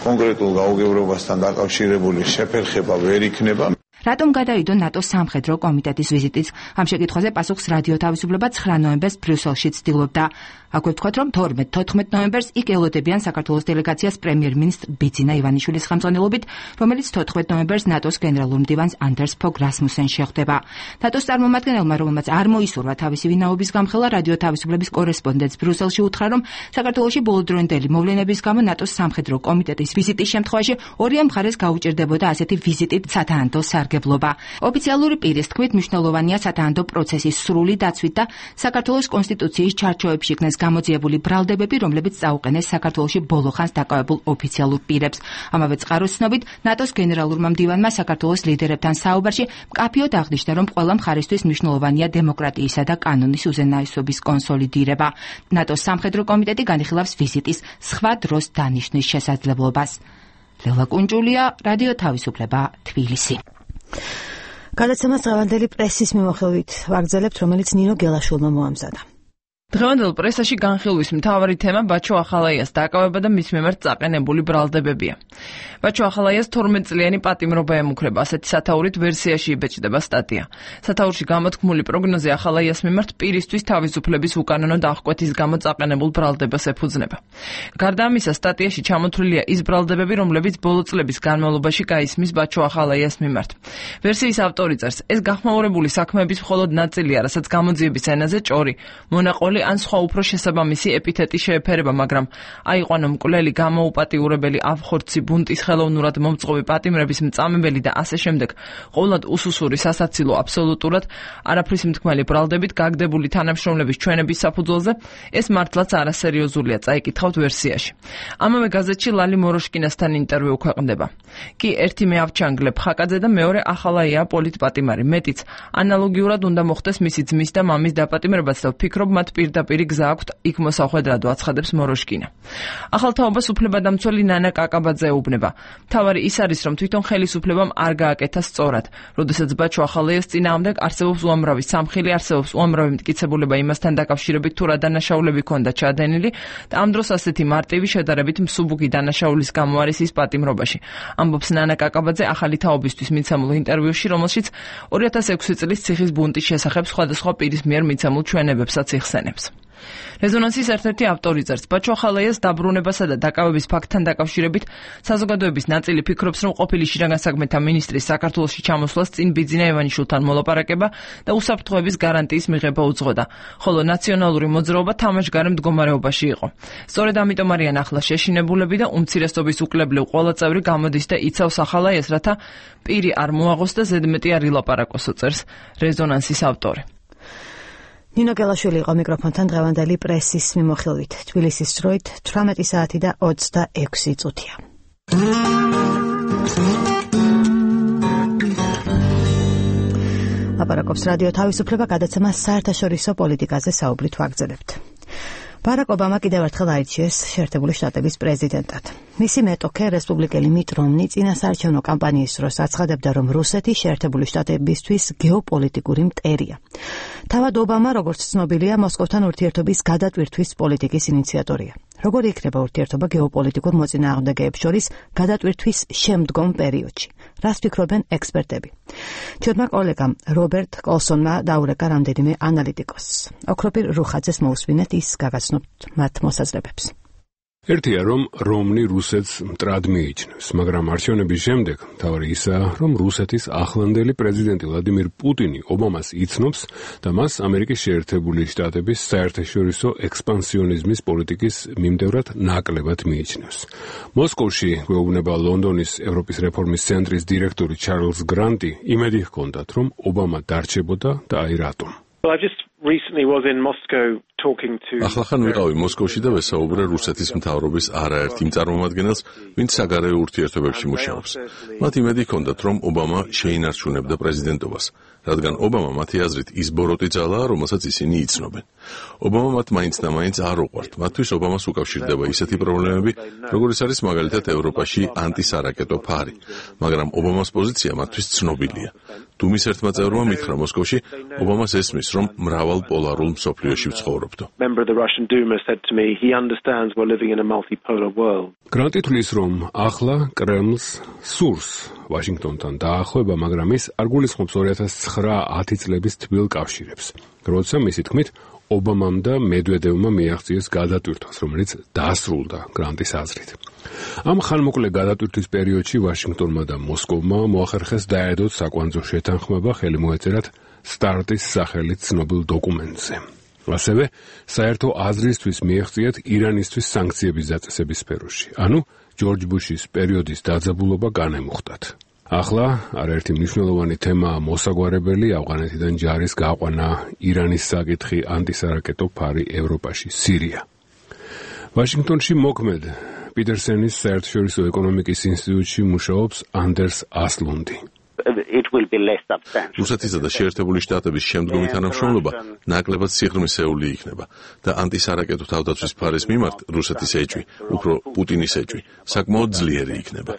კონკრეტულ გაუგებრობასთან დაკავშირებული შეფერხება ვერ იქნება. რატომ გადავიდო ნატოს სამხედრო კომიტეტის ვიზიტიც? ამ შეკითხვაზე პასუხს რადიო თავისუფლება 9 ნოემბერს ბრიუსელში ცდილობდა. აქვე ვთქვათ, რომ 12-14 ნოემბერს იქ ელოდებიან საქართველოს დელეგაციას პრემიერ-მინისტრ ბიძინა ივანიშვილის ხელმძღვანელობით, რომელიც 14 ნოემბერს ნატოს გენერალურ მდივანს ანდერს ფოგ რასმუსენს შეხვდება. ნატოს წარმომადგენელმა, რომელმაც არ მოისურვა თავისი ვინაობის გამხელა, რადიო თავისუფლების კორესპონდენტს ბრიუსელში უთხრა, რომ საქართველოში ბოლოდროინდელი მოვლენების გამო ნატოს სამხედრო კომიტეტის ვიზიტის შემთხვევაში ორივე მხარეს გაუჭირდებოდა ასეთი ვიზიტით სათანადო სარგებლობა. ოფიციალური პირის თქმით, მნიშვნელოვანია სათანადო პროცესის სრული დაცვით და საქართველოს კონსტიტუციის ჩარჩოებში იქნეს გამოძიებული ბრალდებები, რომლებიც წაუყენეს საქართველოში ბოლოხანს დაკავებულ ოფიციალურ პირებს. ამავე წყაროს ცნობით, ნატოს გენერალურმა მდივანმა საქართველოს ლიდერებთან საუბარში მკაფიოდ აღნიშნა, რომ ყველა მხარისთვის მნიშვნელოვანია დემოკრატიისა და კანონის უზენაესობის კონსოლიდირება. ნატოს სამხედრო კომიტეტი განიხილავს ვიზიტის სხვა დროს დანიშნვის შესაძლებლობას. ლელა კუნჯულია, რადიო თავისუფლება, თბილისი. გადაცემას დღევანდელი პრესის მიმოხილვით ვაგრძელებთ, რომელიც ნინო გელაშვილმა მოამზადა. დღევანდელ პრესაში განხილვის მთავარი თემა ბაჩო ახალაიას დაკავება და მის მიმართ წაყენებული ბრალდებებია. ბაჩო ახალაიას 12 წლიანი პატიმრობა ემუქრება, ასეთი სათაურით ვერსიაში იბეჭდება სტატია. სათაურში გამოთქმული პროგნოზი ახალაიას მიმართ პირისთვის თავისუფლების უკანონო დახკვეთის გამო წაყენებულ ბრალდებას ეფუძნება. გარდა ამისა, სტატიაში ჩამოთვლილია ის ბრალდებები, რომლებიც ბოლო წლების განმავლობაში გაისმის ბაჩო ახალაიას მიმართ. ვერსიის ავტორი წერს, ეს გახმაურებული საქმეების მხოლოდ ნაწილია, რასაც გამოძიების ენაზე ჭორი, მონაყოლი ან სხვა უფრო შესაბამისი ეპითეტი შეეფერება, მაგრამ აიყვანო მკვლელი, გამოუპატიურებელი, აფხორცი, ბუნტის ხელოვნურად მომწყობი, პატიმრების მწამებელი და ასე შემდეგ, ყოვლად უსუსური, სასაცილო, აბსოლუტურად არაფრის მთქმელი ბრალდებით გაგდებული თანამშრომლების ჩვენების საფუძველზე, ეს მართლაც არასერიოზულია, წაიკითხავთ ვერსიაში. ამავე გაზეთში ლალი მოროშკინასთან ინტერვიუ ქვეყნდება. კი ერთი მე ავჩანგლებ ხაკაძე და მეორე ახალაია პოლიტპატიმარი, მეტიც ანალოგიურად უნდა მოხდეს მისი ძმის და მამის დაპატიმრებაც და ვფიქრობ მათ პირდაპირ გზა აქვთ იქ მოსახვედრად, აცხადებს მოროშკინა. ახალ თაობას უფლებადამცველი ნანა კაკაბაძე ეუბნება. მთავარი ის არის, რომ თვითონ ხელისუფლებამ არ გააკეთა სწორად. როდესაც ბაჩო ახალაიას წინააღმდეგ არსებობს უამრავი სამხილი, არსებობს უამრავი მტკიცებულება იმასთან დაკავშირებით თუ რა დანაშაულები ჰქონდა ჩადენილი და ამ დროს ასეთი მარტივი შედარებით მსუბუქი დანაშაულის გამო არის ის პატიმრობაში. ამბობს ნანა კაკაბაძე ახალი თაობისთვის მიცემულ ინტერვიუში, რომელშიც 2006 წლის ციხის ბუნტის შესახებ სხვადასხვა პირის მიერ მიცემულ ჩვენებებსაც იხსენებს. რეზონანსის ერთ-ერთი ავტორი წერს, ბაჩო ახალაიას დაბრუნებასა და დაკავების ფაქტთან დაკავშირებით საზოგადოების ნაწილი ფიქრობს, რომ ყოფილი შინაგან საქმეთა მინისტრის საქართველოში ჩამოსვლას წინ ბიძინა ევანიშვილთან მოლაპარაკება და უსაფრთხოების გარანტიის მიღება უძღოდა, ხოლო ნაციონალური მოძრაობა თამაშგარე მდგომარეობაში იყო. სწორედ ამიტომ არიან ახლა შეშინებულები და უმცირესობის უკლებლივ ყველა წევრი გამოდის და იცავს ახალაიას, რათა პირი არ მოაღოს და ზედმეტი არ ილაპარაკოსო, წერს რეზონანსის ავტორი. ნინო გელაშვილი იყო მიკროფონთან დღევანდელი პრესის მიმოხილვით. თბილისის დროით 18 საათი და 26 წუთია. ლაპარაკობს რადიო თავისუფლება, გადაცემა საერთაშორისო პოლიტიკაზე საუბრით ვაგრძელებთ. ბარაკ ობამა კიდევ ერთხელ აირჩიეს შეერთებული შტატების პრეზიდენტად. მისი მეტოქე, რესპუბლიკელი მიტ რომნი, წინასაარჩევნო კამპანიის დროს აცხადებდა, რომ რუსეთი შეერთებული შტატებისთვის გეოპოლიტიკური მტერია. თავად ობამა, როგორც ცნობილია, მოსკოვთან ურთიერთობის გადატვირთვის პოლიტიკის ინიციატორია. როგორი იქნება ურთიერთობა გეოპოლიტიკურ მოწინააღმდეგეებს შორის გადატვირთვის შემდგომ პერიოდში? რას ფიქრობენ ექსპერტები? ჩვენმა კოლეგამ რობერტ კოლსონმა დაურეკა რამდენიმე ანალიტიკოსს. ოქროპირ რუხაძეს მოусვინეთ, ის გაგაცნობთ მათ მოსაზრებებს. ერთია, რომ რომნი რუსეთს მტრად მიიჩნევს, მაგრამ არჩევნების შემდეგ მთავარი ისაა, რომ რუსეთის ახლანდელი პრეზიდენტი ვლადიმირ პუტინი ობამას იცნობს და მას ამერიკის შეერთებული შტატების საერთაშორისო ექსპანსიონიზმის პოლიტიკის მიმდევრად ნაკლებად მიიჩნევს. მოსკოვში გვეუბნება ლონდონის ევროპის რეფორმის ცენტრის დირექტორი ჩარლზ გრანტი, იმედი ჰქონდათ, რომ ობამა დარჩებოდა და აი რატომ. ახლახან ვიყავი მოსკოვში და ვესაუბრე რუსეთის მთავრობის არაერთ იმ წარმომადგენელს, ვინც საგარეო ურთიერთობებში მუშაობს. მათ იმედი ჰქონდათ, რომ ობამა შეინარჩუნებდა პრეზიდენტობას, რადგან ობამა მათი აზრით ის ბოროტი ძალაა, რომელსაც ისინი იცნობენ. ობამა მათ მაინც და მაინც არ უყვართ. მათთვის ობამას უკავშირდება ისეთი პრობლემები, როგორიც არის მაგალითად ევროპაში ანტისარაკეტო ფარი, მაგრამ ობამას პოზიცია მათთვის ცნობილია. დუმის ერთმა წევრმა მითხრა მოსკოვში, ობამას ესმის, რომ მრავალ პოლარულ მსოფლიოში ვცხოვრობდო. გრანტი თვლის, რომ ახლა კრემლს სურს ვაშინგტონთან დაახლოება, მაგრამ ის არ გულისხმობს 2009-10 წლების თბილ კავშირებს, როცა მისი თქმით ობამამ და მედვედევმა მიაღწიეს გადატვირთვას, რომელიც დასრულდა გრანტის აზრით. ამ ხანმოკლე გადატვირთვის პერიოდში ვაშინგტონმა და მოსკოვმა მოახერხეს დაედოთ საკვანძო შეთანხმება, ხელი მოეწერათ სტარტის სახელით ცნობილ დოკუმენტზე. ასევე საერთო აზრისთვის მიაღწიათ ირანისთვის სანქციების დაწესების სფეროში, ანუ ჯორჯ ბუშის პერიოდის დაძაბულობა განემუხტათ. ახლა არაერთი მნიშვნელოვანი თემაა მოსაგვარებელი ავღანეთიდან ჯარის გაყვანა, ირანის საკითხი, ანტისარაკეტო ფარი ევროპაში, სირია. ვაშინგტონში მოქმედ პიტერსენის საერთაშორისო ეკონომიკის ინსტიტუტში მუშაობს ანდერს ასლუნდი. რუსეთისა და შეერთებული შტატების შემდგომი თანამშრომლობა ნაკლებად სიღრმისეული იქნება და ანტისარაკეტო თავდაცვის ფარის მიმართ რუსეთის ეჭვი, უფრო პუტინის ეჭვი, საკმაოდ ძლიერი იქნება.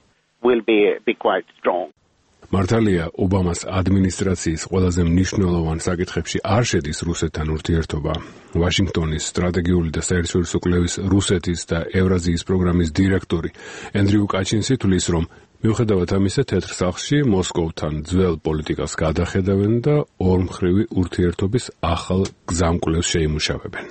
მართალია, ობამას ადმინისტრაციის ყველაზე მნიშვნელოვან საკითხებში არ შედის რუსეთთან ურთიერთობა. ვაშინგტონის სტრატეგიული და საერთაშორისო კვლევის რუსეთის და ევრაზიის პროგრამის დირექტორი ენდრიუ კაჩინსი თვლის, რომ მიუხედავად ამისა, თეთრ სახლში მოსკოვთან ძველ პოლიტიკას გადახედავენ და ორმხრივი ურთიერთობის ახალ გზამკვლევს შეიმუშავებენ.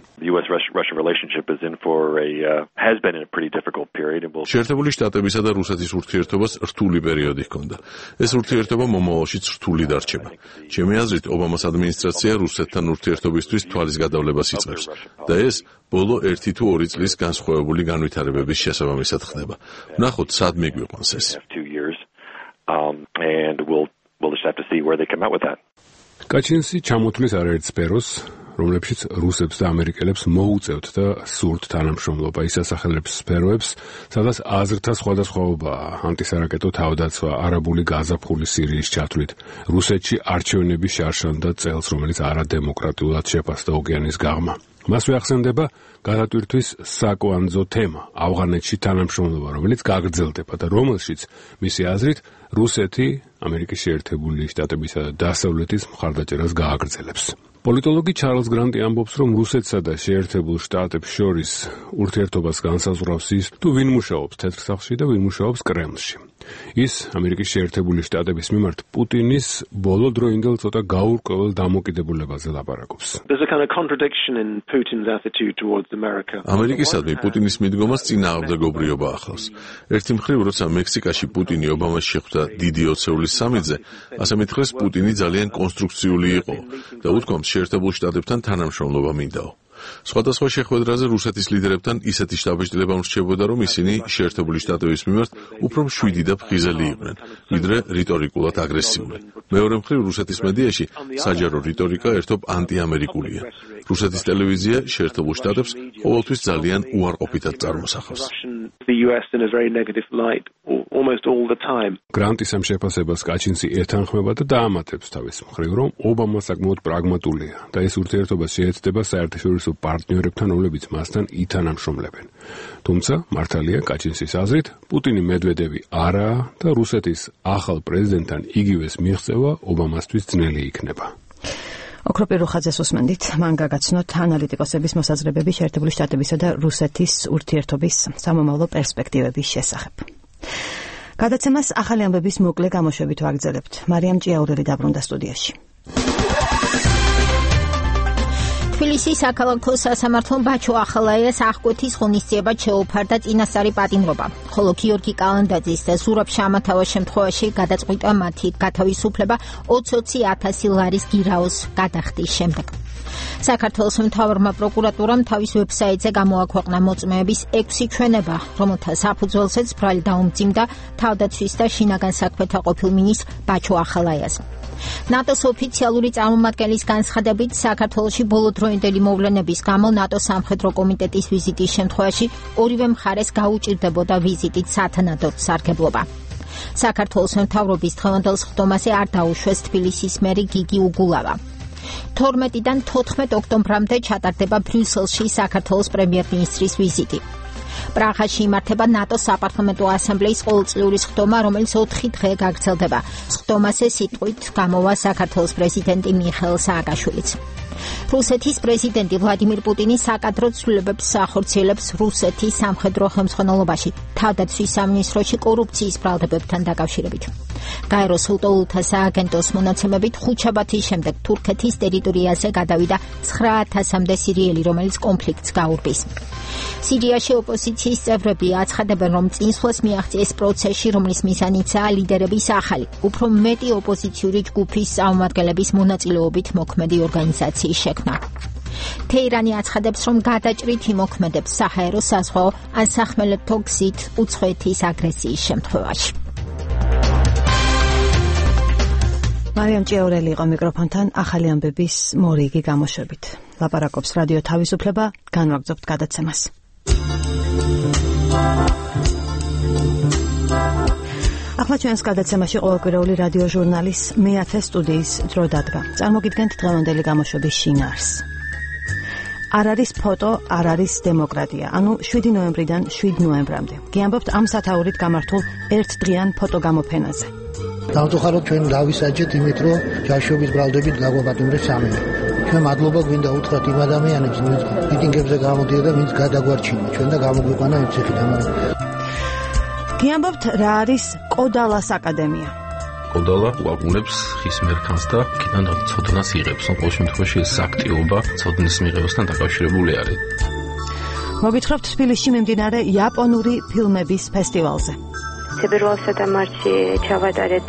შეერთებული შტატებისა და რუსეთის ურთიერთობას რთული პერიოდი ჰქონდა. ეს ურთიერთობა მომავალშიც რთული დარჩება. ჩემი აზრით, ობამას ადმინისტრაცია რუსეთთან ურთიერთობისთვის თვალის გადავლებას იწყებს და ეს ბოლო 1 თუ 2 წლის განსხვავებული განვითარებების შესაბამისად ხდება. ვნახოთ, სად მიგვიყვანს ეს. კაჩინსი ჩამოთვლის არაერთ სფეროს, რომლებშიც რუსებს და ამერიკელებს მოუწევთ და სურთ თანამშრომლობა. ის ასახელებს სფეროებს, სადაც აზრთა სხვადასხვაობაა: ანტისარაკეტო თავდაცვა, არაბული გაზაფხული სირიის ჩათვლით, რუსეთში არჩევნების შარშან და წელს, რომელიც არადემოკრატიულად შეფასდა ოკეანის გაღმა. მასვე ახსენდება გადატვირთვის საკვანძო თემა, ავღანეთში თანამშრომლობა, რომელიც გაგრძელდება და რომელშიც მისი აზრით რუსეთი ამერიკის შეერთებული შტატებისა და დასავლეთის მხარდაჭერას გააგრძელებს. პოლიტოლოგი ჩარლზ გრანტი ამბობს, რომ რუსეთსა და შეერთებულ შტატებს შორის ურთიერთობას განსაზღვრავს ის, თუ ვინ მუშაობს თეთრ სახლში და ვინ მუშაობს კრემლში. ის ამერიკის შეერთებული შტატების მიმართ პუტინის ბოლო დროინდელ ცოტა გაურკვეველ დამოკიდებულებაზე ლაპარაკობს. ამერიკისადმი პუტინის მიდგომას წინააღმდეგობრიობა ახლავს. ერთი მხრივ, როცა მექსიკაში პუტინი ობამას შეხვდა დიდი ოცეულის სამედზე, ასე მითხრეს პუტინი ძალიან კონსტრუქციული იყო და უთქვამს შეერთებულ შტატებთან თანამშრომლობა მინდაო. სხვადასხვა შეხვედრაზე რუსეთის ლიდერებთან ისეთი შთაბეჭდილება ურჩებოდა, რომ ისინი შეერთებული შტატების მიმართ უფრო მშვიდი და ფხიზელი იყვნენ, ვიდრე რიტორიკულად აგრესიული. მეორე მხრივ, რუსეთის მედიაში საჯარო რიტორიკა ერთობ ანტიამერიკულია. რუსეთის ტელევიზია შეერთებულ შტატებს ყოველთვის ძალიან უარყოფითად წარმოსახავს. გრანტის ამ შეფასებას კაჩინსი ეთანხმება და დაამატებს თავის მხრივ, რომ ობამა საკმაოდ პრაგმატულია და ეს ურთიერთობა შეეცდება საერთაშორისო პარტნიორებთან, რომლებიც მასთან ითანამშრომლებენ. თუმცა, მართალია კაჩინსის აზრით, პუტინი მედვედევი არაა და რუსეთის ახალ პრეზიდენტთან იგივეს მიღწევა ობამასთვის ძნელი იქნება. ოქროპირ რუხაძეს უსმენდით, მან გაგაცნოთ ანალიტიკოსების მოსაზრებები შეერთებული შტატებისა და რუსეთის ურთიერთობის სამომავლო პერსპექტივების შესახებ. გადაცემას ახალი ამბების მოკლე გამოშვებით ვაგრძელებთ. მარიამ ჭიაურელი დაბრუნდა სტუდიაში. თბილისის საქალაქო სასამართლომ ბაჩო ახალაიას აღკვეთის ღონისძიებად შეუფარდა წინასწარი პატიმრობა, ხოლო გიორგი კალანდაძის და ზურაბ შამათაუას შემთხვევაში გადაწყვიტა მათი გათავისუფლება 20,000 ლარის გირაოს გადახდის შემდეგ. საქართველოს მთავარმა პროკურატურამ თავის ვებსაიტზე გამოაქვეყნა მოწმეების 6 ჩვენება, რომელთა საფუძველზეც ბრალი დაუმძიმდა თავდაცვის და შინაგან საქმეთა ყოფილ მინისტრ ბაჩო ახალაიას. ნატოს ოფიციალური წარმომადგენლის განცხადებით, საქართველოში ბოლოდროინდელი მოვლენების გამო ნატოს სამხედრო კომიტეტის ვიზიტის შემთხვევაში ორივე მხარეს გაუჭირდებოდა ვიზიტით სათანადო სარგებლობა. საქართველოს მთავრობის დღევანდელ სხდომაზე არ დაუშვეს თბილისის მერი გიგი უგულავა. 12-დან 14 ოქტომბრამდე ჩატარდება ბრიუსელში საქართველოს პრემიერ-მინისტრის ვიზიტი. პრაღაში იმართება ნატოს საპარლამენტო ასამბლეის ყოველწლიური სხდომა, რომელიც 4 დღე გაგრძელდება. სხდომაზე სიტყვით გამოვა საქართველოს პრეზიდენტი მიხეილ სააკაშვილიც. რუსეთის პრეზიდენტი ვლადიმირ პუტინი საკადრო ცვლილებებს ახორციელებს რუსეთის სამხედრო ხელმძღვანელობაში, თავდაცვის სამინისტროში კორუფციის ბრალდებებთან დაკავშირებით. გაეროს ულტოულთა სააგენტოს მონაცემებით ხუთშაბათის შემდეგ თურქეთის ტერიტორიაზე გადავიდა 9,000-მდე სირიელი, რომელიც კონფლიქტს გაურბის. სირიაში ოპოზიციის წევრები აცხადებენ, რომ წინსვლას მიაღწიეს პროცესში, რომლის მიზანიცაა ლიდერების ახალი, უფრო მეტი ოპოზიციური ჯგუფის წარმომადგენლების მონაწილეობით მოქმედი ორგანიზაციის შექმნა. თეირანი აცხადებს, რომ გადაჭრით იმოქმედებს საჰაერო, საზღვაო ან სახმელეთო გზით უცხოეთის აგრესიის შემთხვევაში. მარიამ ჭიაურელი იყო მიკროფონთან ახალი ამბების მორიგი გამოშვებით. ლაპარაკობს რადიო თავისუფლება, განვაგრძობთ გადაცემას. ახლა ჩვენს გადაცემაში ყოველკვირეული რადიო ჟურნალის მეათე სტუდიის დრო დადგა. წარმოგიდგენთ დღევანდელი გამოშვების შინაარსს. არ არის ფოტო, არ არის დემოკრატია. ანუ 7 ნოემბრიდან 7 ნოემბრამდე. გიამბობთ ამ სათაურით გამართულ ერთდღიან ფოტოგამოფენაზე. დავწუხაროთ ჩვენ დავისაჯეთ იმით, რომ ჯაშობის ბრალდებით გაგვაპატიმრეს სამივე. ჩვენ მადლობა გვინდა უთხრათ იმ ადამიანებს, ვინც მიტინგებზე გამოდიოდა და ვინც გადაგვარჩინა ჩვენ და გამოგვიყვანა იმ ციხიდან. გიამბობთ, რა არის კოდალას აკადემია? კოდალა უაგუნებს ხის მერქანს და იქიდან ცოდნას იღებს. ყოველ შემთხვევაში ეს აქტივობა ცოდნის მიღებასთან დაკავშირებული არის. მოგითხრობთ თბილისში მიმდინარე იაპონური ფილმების ფესტივალზე. თებერვალსა და მარტში ჩავატარეთ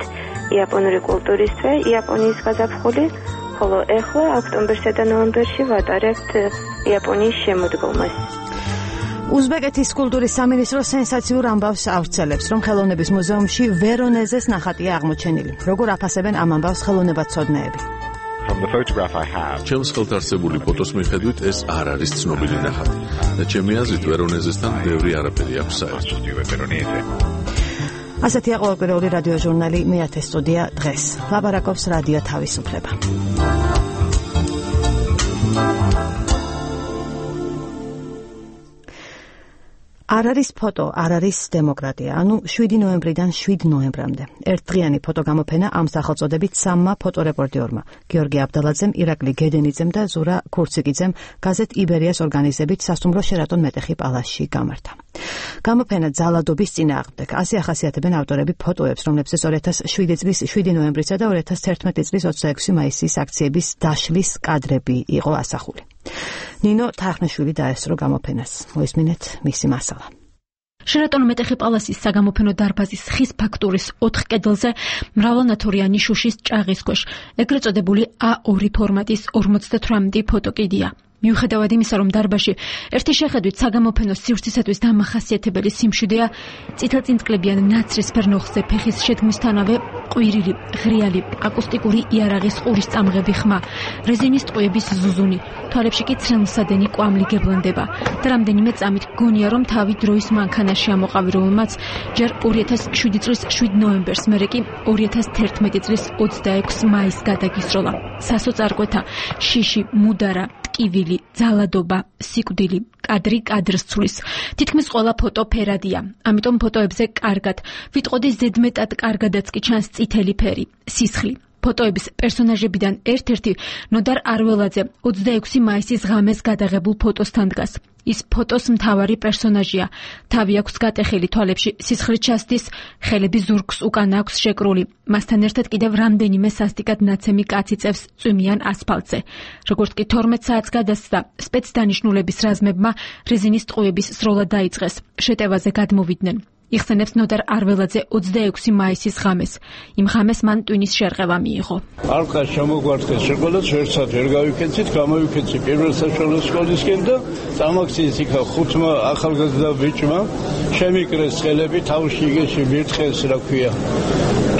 იაპონური კულტურის თვე, იაპონიის გაზაფხული, ხოლო ეხლა ოქტომბერსა და ნოემბერში ვატარებთ იაპონიის შემოდგომას. უზბეკეთის კულტურის სამინისტრო სენსაციურ ამბავს ავრცელებს, რომ ხელოვნების მუზეუმში ვერონეზეს ნახატია აღმოჩენილი. როგორ აფასებენ ამ ამბავს ხელოვნებაცოდნეები? ჩემს ხელთარსებული ფოტოს მიხედვით ეს არ არის ცნობილი ნახატი და ჩემი აზრით ვერონეზესთან ბევრი არაფერი აქვს საერთო. ასეთია ყოველკვირეული რადიო ჟურნალი მეათე სტუდია დღეს. ლაპარაკობს რადიო თავისუფლება. არ არის ფოტო, არ არის დემოკრატია. ანუ 7 ნოემბრიდან 7 ნოემბრამდე. ერთდღიანი ფოტოგამოფენა ამ სახელწოდებით სამმა ფოტორეპორტიორმა, გიორგი აბდალაძემ, ირაკლი გედენიძემ და ზურა ქურციკიძემ გაზეთ იბერიას ორგანიზებით სასტუმრო შერატონ მეტეხი პალასში გამართა. გამოფენა ძალადობის წინააღმდეგ. ასე ახასიათებენ ავტორები ფოტოებს, რომლებზეც 2007 წლის 7 ნოემბრისა და 2011 წლის 26 მაისის აქციების დაშლის კადრები იყო ასახული. ნინო თახნიშვილი დაესწრო გამოფენას. მოისმინეთ მისი მასალა. შერატონ მეტეხი პალასის საგამოფენო დარბაზის ხის ფაქტურის 4 კედელზე მრავალნათორიანი შუშის ჭაღის ქვეშ ეგრეთ წოდებული A2 ფორმატის 58 ფოტოკიდია. მიუხედავად იმისა, რომ დარბაზში ერთი შეხედვით საგამოფენო სივრცისათვის დამახასიათებელი სიმშვიდეა, წითელწინწკლებიან ნაცრისფერ ნოხზე ფეხის შედგმისთანავე ყვირილი, ღრიალი, აკუსტიკური იარაღის ყურის წამღები ხმა, რეზინის ტყვიების ზუზუნი, თვალებში კი ცრემლსადენი კვამლი გებლანდება და რამდენიმე წამით გონია, რომ თავი დროის მანქანაში ამოყავი, რომელმაც ჯერ 2007 წლის 7 ნოემბერს, მერე კი 2011 წლის 26 მაისს გადაგისროლა. სასოწარკვეთა, შიში, მუდარა, ტკივილი, ძალადობა, სიკვდილი, კადრი კადრს ცulis. თითქმის ყველა ფოტო ფერადია. ამიტომ ფოტოებზე კარგად, ვიტყოდი ზედმეტად კარგადაც კი ჩანს წითელი ფერი, სისხლი. ფოტოების პერსონაჟებიდან ერთ-ერთი ნოდარ არველაძე 26 მაისის ღამეს გადაღებულ ფოტოსთან დგას. ის ფოტოს მთავარი პერსონაჟია. თავი აქვს გატეხილი, თვალებში სისხლი ჩასდის, ხელები ზურგს უკან აქვს შეკრული. მასთან ერთად კიდევ რამდენიმე სასტიკად ნაცემი კაცი წევს წვიმიან ასფალტზე. როგორც კი 12 საათს გადასცდა, სპეცდანიშნულების რაზმებმა რეზინის ტყვიების სროლა დაიწყეს. შეტევაზე გადმოვიდნენ. იხსენებს ნოდარ არველაძე 26 მაისის ღამეს. იმ ღამეს მან ტვინის შერყევა მიიღო. ალყა შემოგვარცხეს შეყოლაც ერთსად ვერ გავიქენცით, გამოვიქენცი პირველ საშუალო სკოლისკენ და წამაქციის იქა 5 ახალგაზრდა ბიჭმა შემიკრეს ხელები თავში იგეში მირთხეს, რა ქვია,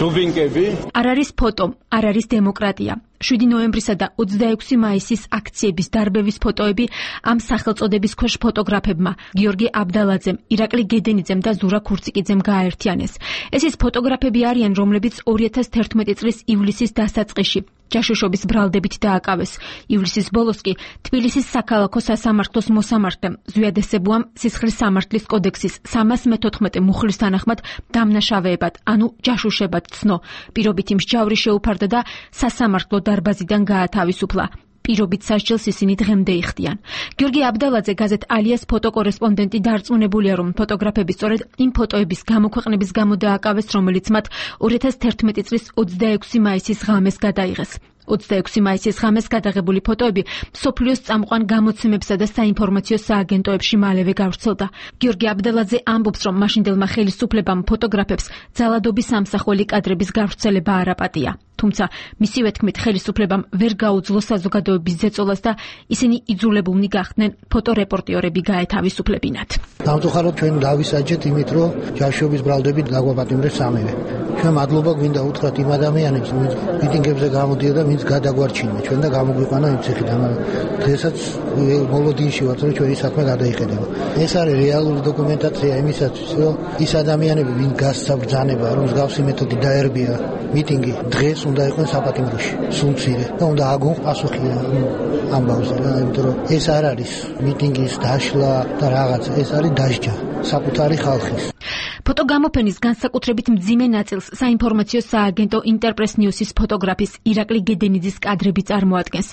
დუბინკები. არ არის ფოტო, არ არის დემოკრატია. 7 ნოემბრისა და 26 მაისის აქციების დარბევის ფოტოები ამ სახელწოდების ქვეშ ფოტოგრაფებმა გიორგი აბდალაძემ, ირაკლი გედენიძემ და ზურა ქურციკიძემ გააერთიანეს. ეს ის ფოტოგრაფები არიან, რომლებიც 2011 წლის ივლისის დასაწყისში ჯაშუშობის ბრალდებით დააკავეს. ივლისის ბოლოს კი თბილისის საქალაქო სასამართლოს მოსამართლემ ზვიადესებუამ სისხლის სამართლის კოდექსის 314 მუხლის თანახმად დამნაშავეებად, ანუ ჯაშუშებად ცნო. პირობითი მსჯავრი შეუფარდა და სასამართლო დარბაზიდან გაათავისუფლა. პირობით სასჯელს ისინი დღემდე იხდიან. გიორგი აბდალაძე გაზეთ ალიას ფოტოკორესპონდენტი დარწმუნებულია, რომ ფოტოგრაფები სწორედ იმ ფოტოების გამოქვეყნების გამო დააკავეს, რომელიც მათ 2011 წლის 26 მაისის ღამეს გადაიღეს. 26 მაისის ღამეს გადაღებული ფოტოები მსოფლიოს წამყვან გამოცემებსა და საინფორმაციო სააგენტოებში მალევე გავრცელდა. გიორგი აბდალაძე ამბობს, რომ მაშინდელმა ხელისუფლებამ ფოტოგრაფებს ძალადობის ამსახველი კადრების გავრცელება არ აპატია. თუმცა მისივე თქმით ხელისუფლებამ ვერ გაუძლო საზოგადოების ზეწოლას და ისინი იძულებულნი გახდნენ ფოტორეპორტიორები გაეთავისუფლებინათ. დავწუხაროთ ჩვენ დავისაჯეთ იმით, რომ ჯაშობის ბრალდებით გაგვაპატიმრეს სამივე. ჩვენ მადლობა გვინდა უთხრათ იმ ადამიანებს, ვინც მიტინგებზე გამოდიოდა და ვინც გადაგვარჩინა ჩვენ და გამოგვიყვანა იმ ციხიდან. დღესაც მოლოდინში ვართ, რომ ჩვენი საქმე გადაიხედება. ეს არის რეალური დოკუმენტაცია იმისათვის, რომ ის ადამიანები, ვინ გასცა ბრძანება, რომ მსგავსი მეთოდი დაერბია მიტინგი, დღეს უნდა იყვნენ საპატიმროში, სულ მცირე და უნდა აგონ პასუხი ამბავზე, იმიტომ რომ ეს არ არის მიტინგის დაშლა და რაღაც, ეს არის დასჯა საკუთარი ხალხის. ფოტოგამოფენის განსაკუთრებით მძიმე ნაწილს საინფორმაციო სააგენტო ინტერპრეს ნიუსის ფოტოგრაფის ირაკლი გედენიძის კადრები წარმოადგენს.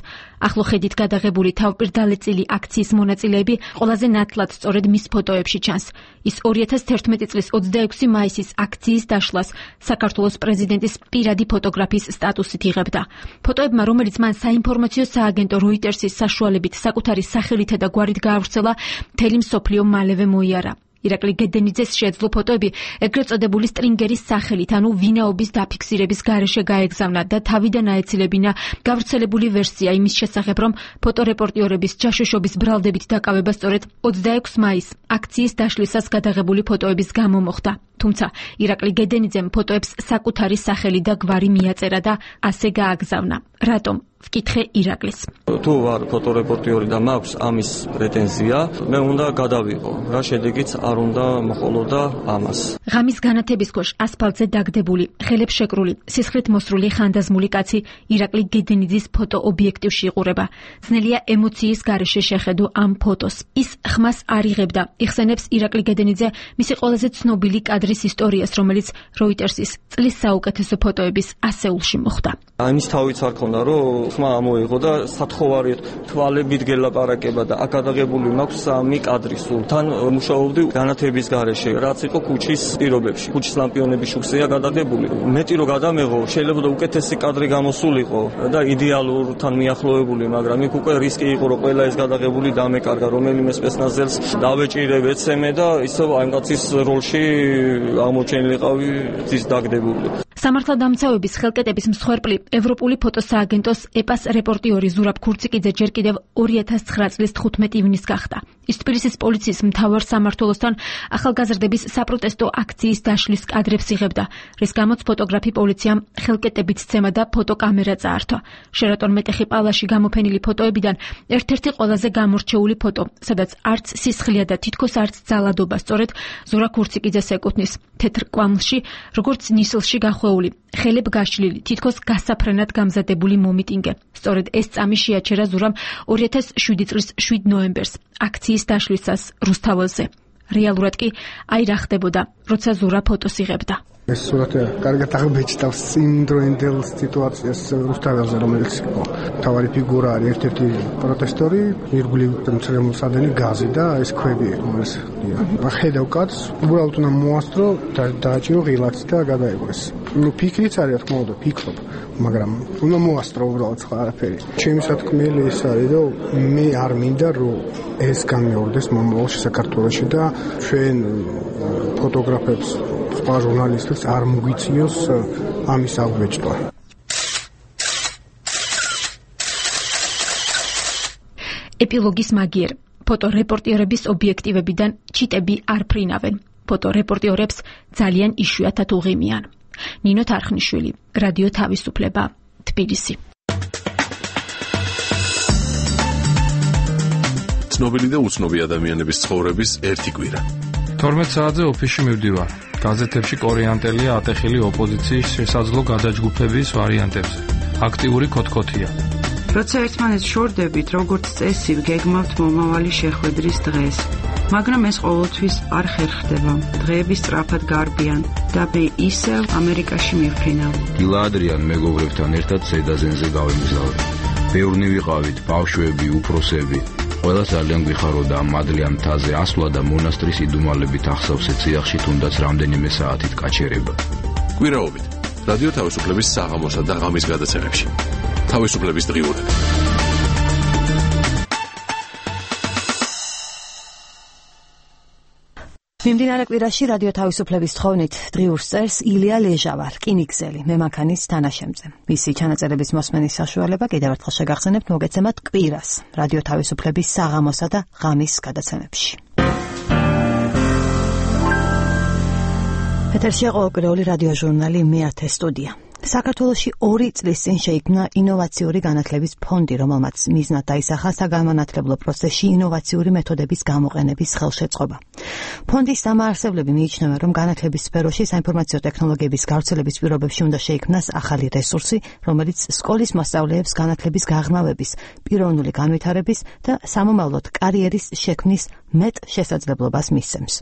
ახლო ხედით გადაღებული თავპირდალეწილი აქციის მონაწილეები ყველაზე ნათლად სწორედ მის ფოტოებში ჩანს. ის 2011 წლის 26 მაისის აქციის დაშლას საქართველოს პრეზიდენტის პირადი ფოტოგრაფის სტატუსით იღებდა. ფოტოებმა, რომელიც მან საინფორმაციო სააგენტო როიტერსის საშუალებით საკუთარი სახელითა და გვარით გაავრცელა, მთელი მსოფლიო მალევე მოიარა. ირაკლი გედენიძეს შეეძლო ფოტოები ეგრეთ წოდებული სტრინგერის სახელით, ანუ ვინაობის დაფიქსირების გარეშე გაეგზავნა და თავიდან აეცილებინა გავრცელებული ვერსია იმის შესახებ, რომ ფოტორეპორტიორების ჯაშუშობის ბრალდებით დაკავება სწორედ 26 მაისს აქციის დაშლისას გადაღებული ფოტოების გამო მოხდა. თუმცა ირაკლი გედენიძემ ფოტოებს საკუთარი სახელი და გვარი მიაწერა და ასე გააგზავნა. რატომ? ვკითხე ირაკლის. თუ ვარ ფოტორეპორტიორი და მაქვს ამის პრეტენზია, მე უნდა გადავიყო. რა შედეგიც არ უნდა მოხოლოდა ამას. ღამის განათების ქვეშ ასფალტზე დაგდებული, ხელებს შეკრული, სისხლით მოსრული ხანდაზმული კაცი ირაკლი გედენიძის ფოტო ობიექტივში იყურება. ძნელია ემოციის გარეშე შეხედო ამ ფოტოს. ის ხმას არ იღებდა. იხსენებს ირაკლი გედენიძე მისი ყველაზე ცნობილი კადრის ისტორიას, რომელიც როიტერსის წლის საუკეთესო ფოტოების ასეულში მოხვდა. ამის თავიც არ ქონდა, რომ ხმა ამოიღო და სათხოვარიეთ თვალებით გელაპარაკება და აკადაღებული მაქვს 3 კადრი სულ. თან მუშაობდი განათების გარეშე, რაც იყო ქუჩის პირობებში. ქუჩის ლამპიონების შუქზეა გადაღებული. მეტი რო გადამეღო, შეიძლება და უკეთესი კადრი გამოსულიყო და იდეალურთან მიახლოებული, მაგრამ იქ უკვე რისკი იყო, რომ ყველა ეს გადაღებული დამეკარგა, რომელიმე სპეცნაზელს დავეჭირე, ვეცემე და ისევ ამ კაცის როლში აღმოჩენილიყავი ძის დაგდებული. სამართალდამცავების ხელკეტების მსხვერპლი ევროპული ფოტოსააგენტოს ეპას რეპორტიორი ზურაბ ქურციკიძე ჯერ კიდევ 2009 წლის 15 ივნისს გახდა. ის თბილისის პოლიციის მთავარ სამმართველოსთან ახალგაზრდების საპროტესტო აქციის დაშლის კადრებს იღებდა, რის გამოც ფოტოგრაფი პოლიციამ ხელკეტებით სცემა და ფოტოკამერა წაართვა. შერატონ მეტეხი პალაში გამოფენილი ფოტოებიდან ერთ-ერთი ყველაზე გამორჩეული ფოტო, სადაც არც სისხლია და თითქოს არც ძალადობა სწორედ ზურაბ ქურციკიძეს ეკუთვნის. თეთრ კვამლში, როგორც ნისლში გახვეული, ხელებ გაშლილი, თითქოს გასაფრენად გამზადებული მომიტინგე. სწორედ ეს წამი შეაჩერა ზურამ 2007 წლის 7 ნოემბერს აქციის დაშლისას რუსთაველზე. რეალურად კი აი რა ხდებოდა, როცა ზურა ფოტოს იღებდა. ეს სურათი კარგად აღბეჭდავს იმდროინდელ სიტუაციას რუსთაველზე, რომელიც იყო მთავარი ფიგურა, არის ერთ-ერთი პროტესტორი, ირგვლივ მცრემლსადენი გაზი და ეს ქვები, რომელიც ხედავ კაცს, უბრალოდ უნდა მოასწრო და დააჭირო ღილაკი და გადაეგვეს. ფიქრიც არის, რა თქმა უნდა, ფიქრობ, მაგრამ უნდა მოასწრო უბრალოდ სხვა არაფერი. ჩემი სათქმელი ის არის, რომ მე არ მინდა, რომ ეს გამეორდეს მომავალში საქართველოში და ჩვენ ფოტოგრაფებს სხვა ჟურნალისტებს არ მოგვიწიოს ამის აღბეჭდვა. ეპილოგის მაგიერ. ფოტორეპორტიორების ობიექტივებიდან ჩიტები არ ფრინავენ. ფოტორეპორტიორებს ძალიან იშვიათად უღიმიან. ნინო თარხნიშვილი, რადიო თავისუფლება, თბილისი. ცნობილი და უცნობი ადამიანების ცხოვრების ერთი კვირა. 12 საათზე ოფისში მივდივარ. გაზეთებში კორეანტელია ატეხილი ოპოზიციის შესაძლო გადაჯგუფების ვარიანტებზე. აქტიური ქოთქოთია. როცა ერთმანეთს შორდებით, როგორც წესი, გეგმავთ მომავალი შეხვედრის დღეს. მაგრამ ეს ყოველთვის არ ხერხდება. დღეები სწრაფად გარბიან და მე ისევ ამერიკაში მივფრინავ. დილა ადრიან მეგობრებთან ერთად ზედაზენზე გავემგზავრე. ბევრნი ვიყავით, ბავშვები, უფროსები. ყველა ძალიან გვიხაროდა ამ მადლიან მთაზე ასვლა და მონასტრის იდუმალებით ახსავსე ციახში თუნდაც რამდენიმე საათით გაჩერება. კვირაობით რადიო თავისუფლების საღამოსა და ღამის გადაცემებში. თავისუფლების დღიურები. მიმდინარე კვირაში რადიო თავისუფლების თხოვნით დღიურს წერს ილია ლეჟავა, რკინიგზელი, მემანქანის თანაშემწე. მისი ჩანაწერების მოსმენის საშუალება კიდევ ერთხელ შეგახსენებთ მოგეცემათ კვირას რადიო თავისუფლების საღამოსა და ღამის გადაცემებში. ეთერშია ყოველკვირეული რადიო ჟურნალი მეათე სტუდია. საქართველოში 2 წლის წინ შეიქმნა ინოვაციური განათლების ფონდი, რომელმაც მიზნად დაისახა საგანმანათლებლო პროცესში ინოვაციური მეთოდების გამოყენების ხელშეწყობა. ფონდის დამაარსებლები მიიჩნევენ, რომ განათლების სფეროში საინფორმაციო ტექნოლოგიების გავრცელების პირობებში უნდა შეიქმნას ახალი რესურსი, რომელიც სკოლის მოსწავლეებს განათლების გაღრმავების, პიროვნული განვითარების და სამომავლოდ კარიერის შექმნის მეტ შესაძლებლობას მისცემს.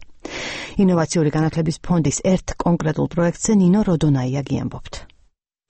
ინოვაციური განათლების ფონდის ერთ კონკრეტულ პროექტზე ნინო როდონაია გიამბობთ.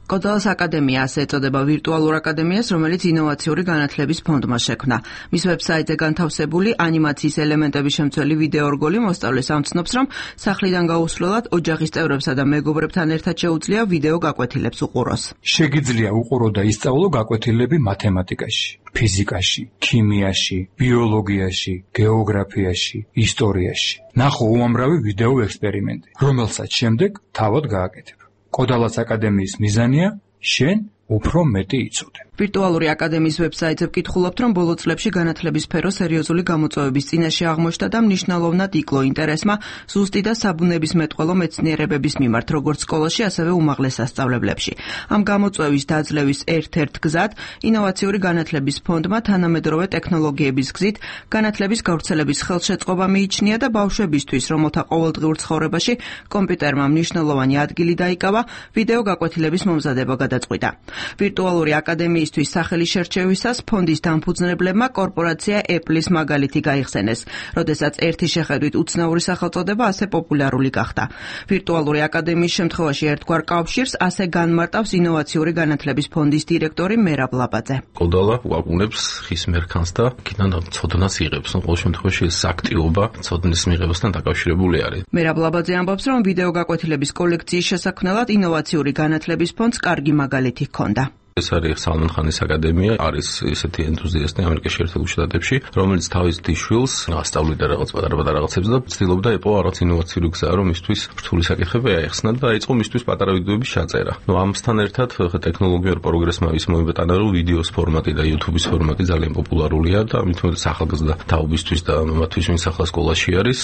კოდალას აკადემია ასე ეწოდება ვირტუალურ აკადემიას, რომელიც ინოვაციური განათლების ფონდმა შექმნა. მის ვებსაიტზე განთავსებული ანიმაციის ელემენტების შემცველი ვიდეო რგოლი მოსწავლეს ამცნობს, რომ სახლიდან გაუსვლელად ოჯახის წევრებსა და მეგობრებთან ერთად შეუძლია ვიდეო გაკვეთილებს უყუროს. შეგიძლია უყურო და ისწავლო გაკვეთილები მათემატიკაში, ფიზიკაში, ქიმიაში, ბიოლოგიაში, გეოგრაფიაში, ისტორიაში. ნახო უამრავი ვიდეო ექსპერიმენტი, რომელსაც შემდეგ თავად გააკეთებ. კოდალას აკადემიის მიზანია შენ უფრო მეტი იცოდე. ვირტუალური აკადემიის ვებსაიტზე ვკითხულობთ, რომ ბოლო წლებში განათლების სფერო სერიოზული გამოწვევების წინაშე აღმოჩნდა და მნიშვნელოვნად იკლო ინტერესმა ზუსტი და საბუნებისმეტყველო მეცნიერებების მიმართ, როგორც სკოლაში, ასევე უმაღლეს სასწავლებლებში. ამ გამოწვევის დაძლევის ერთ-ერთ გზად ინოვაციური განათლების ფონდმა თანამედროვე ტექნოლოგიების გზით განათლების გავრცელების ხელშეწყობა მიიჩნია და ბავშვებისთვის, რომელთა ყოველდღიურ ცხოვრებაში კომპიუტერმა მნიშვნელოვანი ადგილი დაიკავა, ვიდეო გაკვეთილების მომზადება გადაწყვიტა. ვირტუალური აკადემიის სახელი შერჩევისას ფონდის დამფუძნებლებმა კორპორაცია Apple-ის მაგალითი გაიხსენეს, როდესაც ერთი შეხედვით უცნაური სახელწოდება ასე პოპულარული გახდა. ვირტუალური აკადემიის შემთხვევაში ერთგვარ კავშირს ასე განმარტავს ინოვაციური განათლების ფონდის დირექტორი მერაბ ლაბაძე. კოდალა უაკუნებს ხის მერქანს და იქიდან ცოდნას იღებს. ყოველ შემთხვევაში ეს აქტივობა ცოდნის მიღებასთან დაკავშირებული არის. მერაბ ლაბაძე ამბობს, რომ ვიდეო გაკვეთილების კოლექციის შესაქმნელად ინოვაციური განათლების ფონდს კარგი მაგალითი ჰქონდა. ეს არის სალმან ხანის აკადემია, არის ესეთი ენთუზიასტი ამერიკის შეერთებულ შტატებში, რომელიც თავის დიშვილს ასწავლიდა რაღაც პატარ-პატარ რაღაცებს და ცდილობდა ეპოვა რაღაც ინოვაციური გზა, რომ მისთვის რთული საკითხები აეხსნა და დაიწყო მისთვის პატარა ვიდეოების ჩაწერა. ამასთან ერთად ტექნოლოგიურ პროგრესმა ის მოიბატანა, რომ ვიდეოს ფორმატი და YouTube-ის ფორმატი ძალიან პოპულარულია და ამით უმეტეს ახალგაზრდა თაობისთვის და მათთვის, ვინც ახლა სკოლაში არის,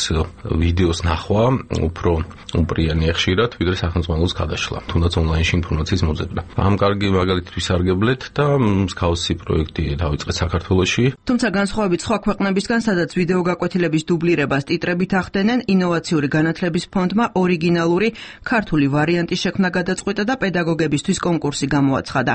ვიდეოს ნახვა უფრო უპრიანი ხშირად, ვიდრე სახელმწიფოს გადაშლა, თუნდაც ონლაინში ინფორმაციის მოძებნა. ამ კარგი მაგალითი სარგებლეთ და მსგავსი პროექტი დავიწყეთ საქართველოში. თუმცა განსხვავებით სხვა ქვეყნებისგან, სადაც ვიდეო გაკვეთილების დუბლირებას ტიტრებით ახდენენ, ინოვაციური განათლების ფონდმა ორიგინალური ქართული ვარიანტი შექმნა გადაწყვიტა და პედაგოგებისთვის კონკურსი გამოაცხადა.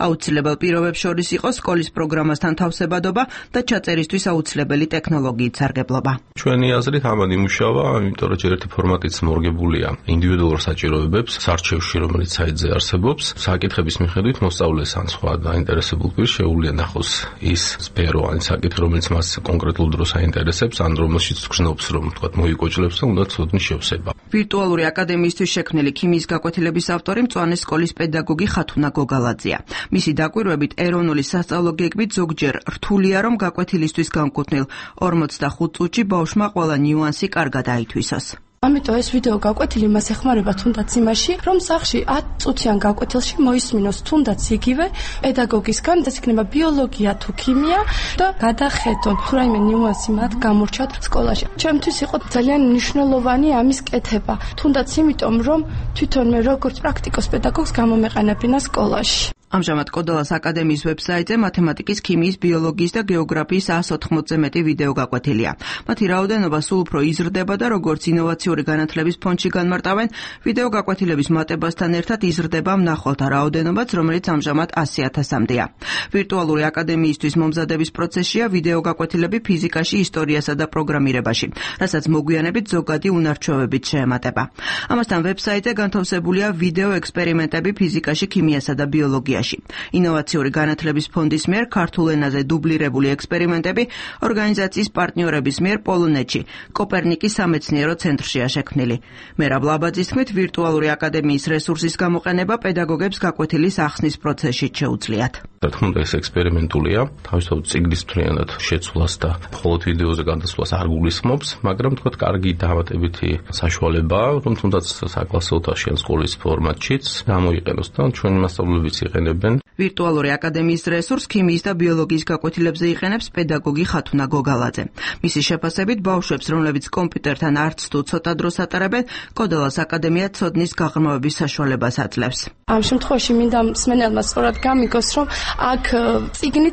აუცილებელ პირობებს შორის იყო სკოლის პროგრამასთან თავსებადობა და ჩაწერისთვის აუცილებელი ტექნოლოგიით სარგებლობა. ჩვენი აზრით ამან იმუშავა, იმიტომ რომ ჯერ ერთი ფორმატიც მორგებულია ინდივიდუალურ საჭიროებებს, სარჩევში, რომელიც საიტზე არსებობს, საკითხების მიხედვით მოსწავლეს ან სხვა დაინტერესებულ პირს შეუძლია ნახოს ის სფერო ან საკითხი, რომელიც მას კონკრეტულ დროს აინტერესებს, ან რომელშიც გრძნობს, რომ თქვა მოიკოჭლებს და უნდა ცოდნის შევსება. ვირტუალური აკადემიისთვის შექმნილი ქიმიის გაკვეთილების ავტორი მწვანე სკოლის პედაგოგი ხათუნა გოგალაძეა. მისი დაკვირვებით ეროვნული სასწავლო გეგმით ზოგჯერ რთულია, რომ გაკვეთილისთვის განკუთვნილ 45 წუთში ბავშვმა ყველა ნიუანსი კარგად აითვისოს. ამიტომ ეს ვიდეო გაკვეთილი მას ეხმარება თუნდაც იმაში, რომ სახლში 10 წუთიან გაკვეთილში მოისმინოს თუნდაც იგივე პედაგოგისგან, ეს იქნება ბიოლოგია თუ ქიმია და გადახედონ თუ რაიმე ნიუანსი მათ გამორჩათ სკოლაში. ჩემთვის იყო ძალიან მნიშვნელოვანი ამის კეთება, თუნდაც იმიტომ, რომ თვითონ მე როგორც პრაქტიკოს პედაგოგს გამომეყენებინა სკოლაში. ამჟამად კოდალას აკადემიის ვებსაიტზე მათემატიკის, ქიმიის, ბიოლოგიის და გეოგრაფიის 180-ზე მეტი ვიდეო გაკვეთილია. მათი რაოდენობა სულ უფრო იზრდება და როგორც ინოვაციური განათლების ფონდში განმარტავენ, ვიდეო გაკვეთილების მატებასთან ერთად იზრდება მნახველთა რაოდენობაც, რომელიც ამჟამად 100,000-მდეა. ვირტუალური აკადემიისთვის მომზადების პროცესშია ვიდეო გაკვეთილები ფიზიკაში, ისტორიასა და პროგრამირებაში, რასაც მოგვიანებით ზოგადი უნარჩვევებით შეემატება. ამასთან ვებსაიტზე განთავსებულია ვიდეო ექსპერიმენტები ფიზიკაში, ქიმიასა და ბიოლოგიაში. ინოვაციური განათლების ფონდის მიერ ქართულ ენაზე დუბლირებული ექსპერიმენტები ორგანიზაციის პარტნიორების მიერ პოლონეთში, კოპერნიკის სამეცნიერო ცენტრშია შექმნილი. მერაბ ლაბაძის თქმით, ვირტუალური აკადემიის რესურსის გამოყენება პედაგოგებს გაკვეთილის ახსნის პროცესში შეუძლიათ. რა თქმა უნდა, ეს ექსპერიმენტულია, თავისთავად წიგნის მთლიანად შეცვლას და მხოლოდ ვიდეოზე გადასვლას არ გულისხმობს, მაგრამ თქვა კარგი დამატებითი საშუალებაა, რომ თუნდაც საკლასო და შენ სკოლის ფორმატშიც გამოიყენოს და ჩვენი მასწავლებლებიც იყენებენ იყენებენ. ვირტუალური აკადემიის რესურს ქიმიის და ბიოლოგიის გაკვეთილებზე იყენებს პედაგოგი ხათუნა გოგალაძე. მისი შეფასებით ბავშვებს, რომლებიც კომპიუტერთან არც თუ ცოტა დროს ატარებენ, კოდელას აკადემია ცოდნის გაღრმავების საშუალებას აძლევს. ამ შემთხვევაში მინდა მსმენელმა სწორად გამიგოს, რომ აქ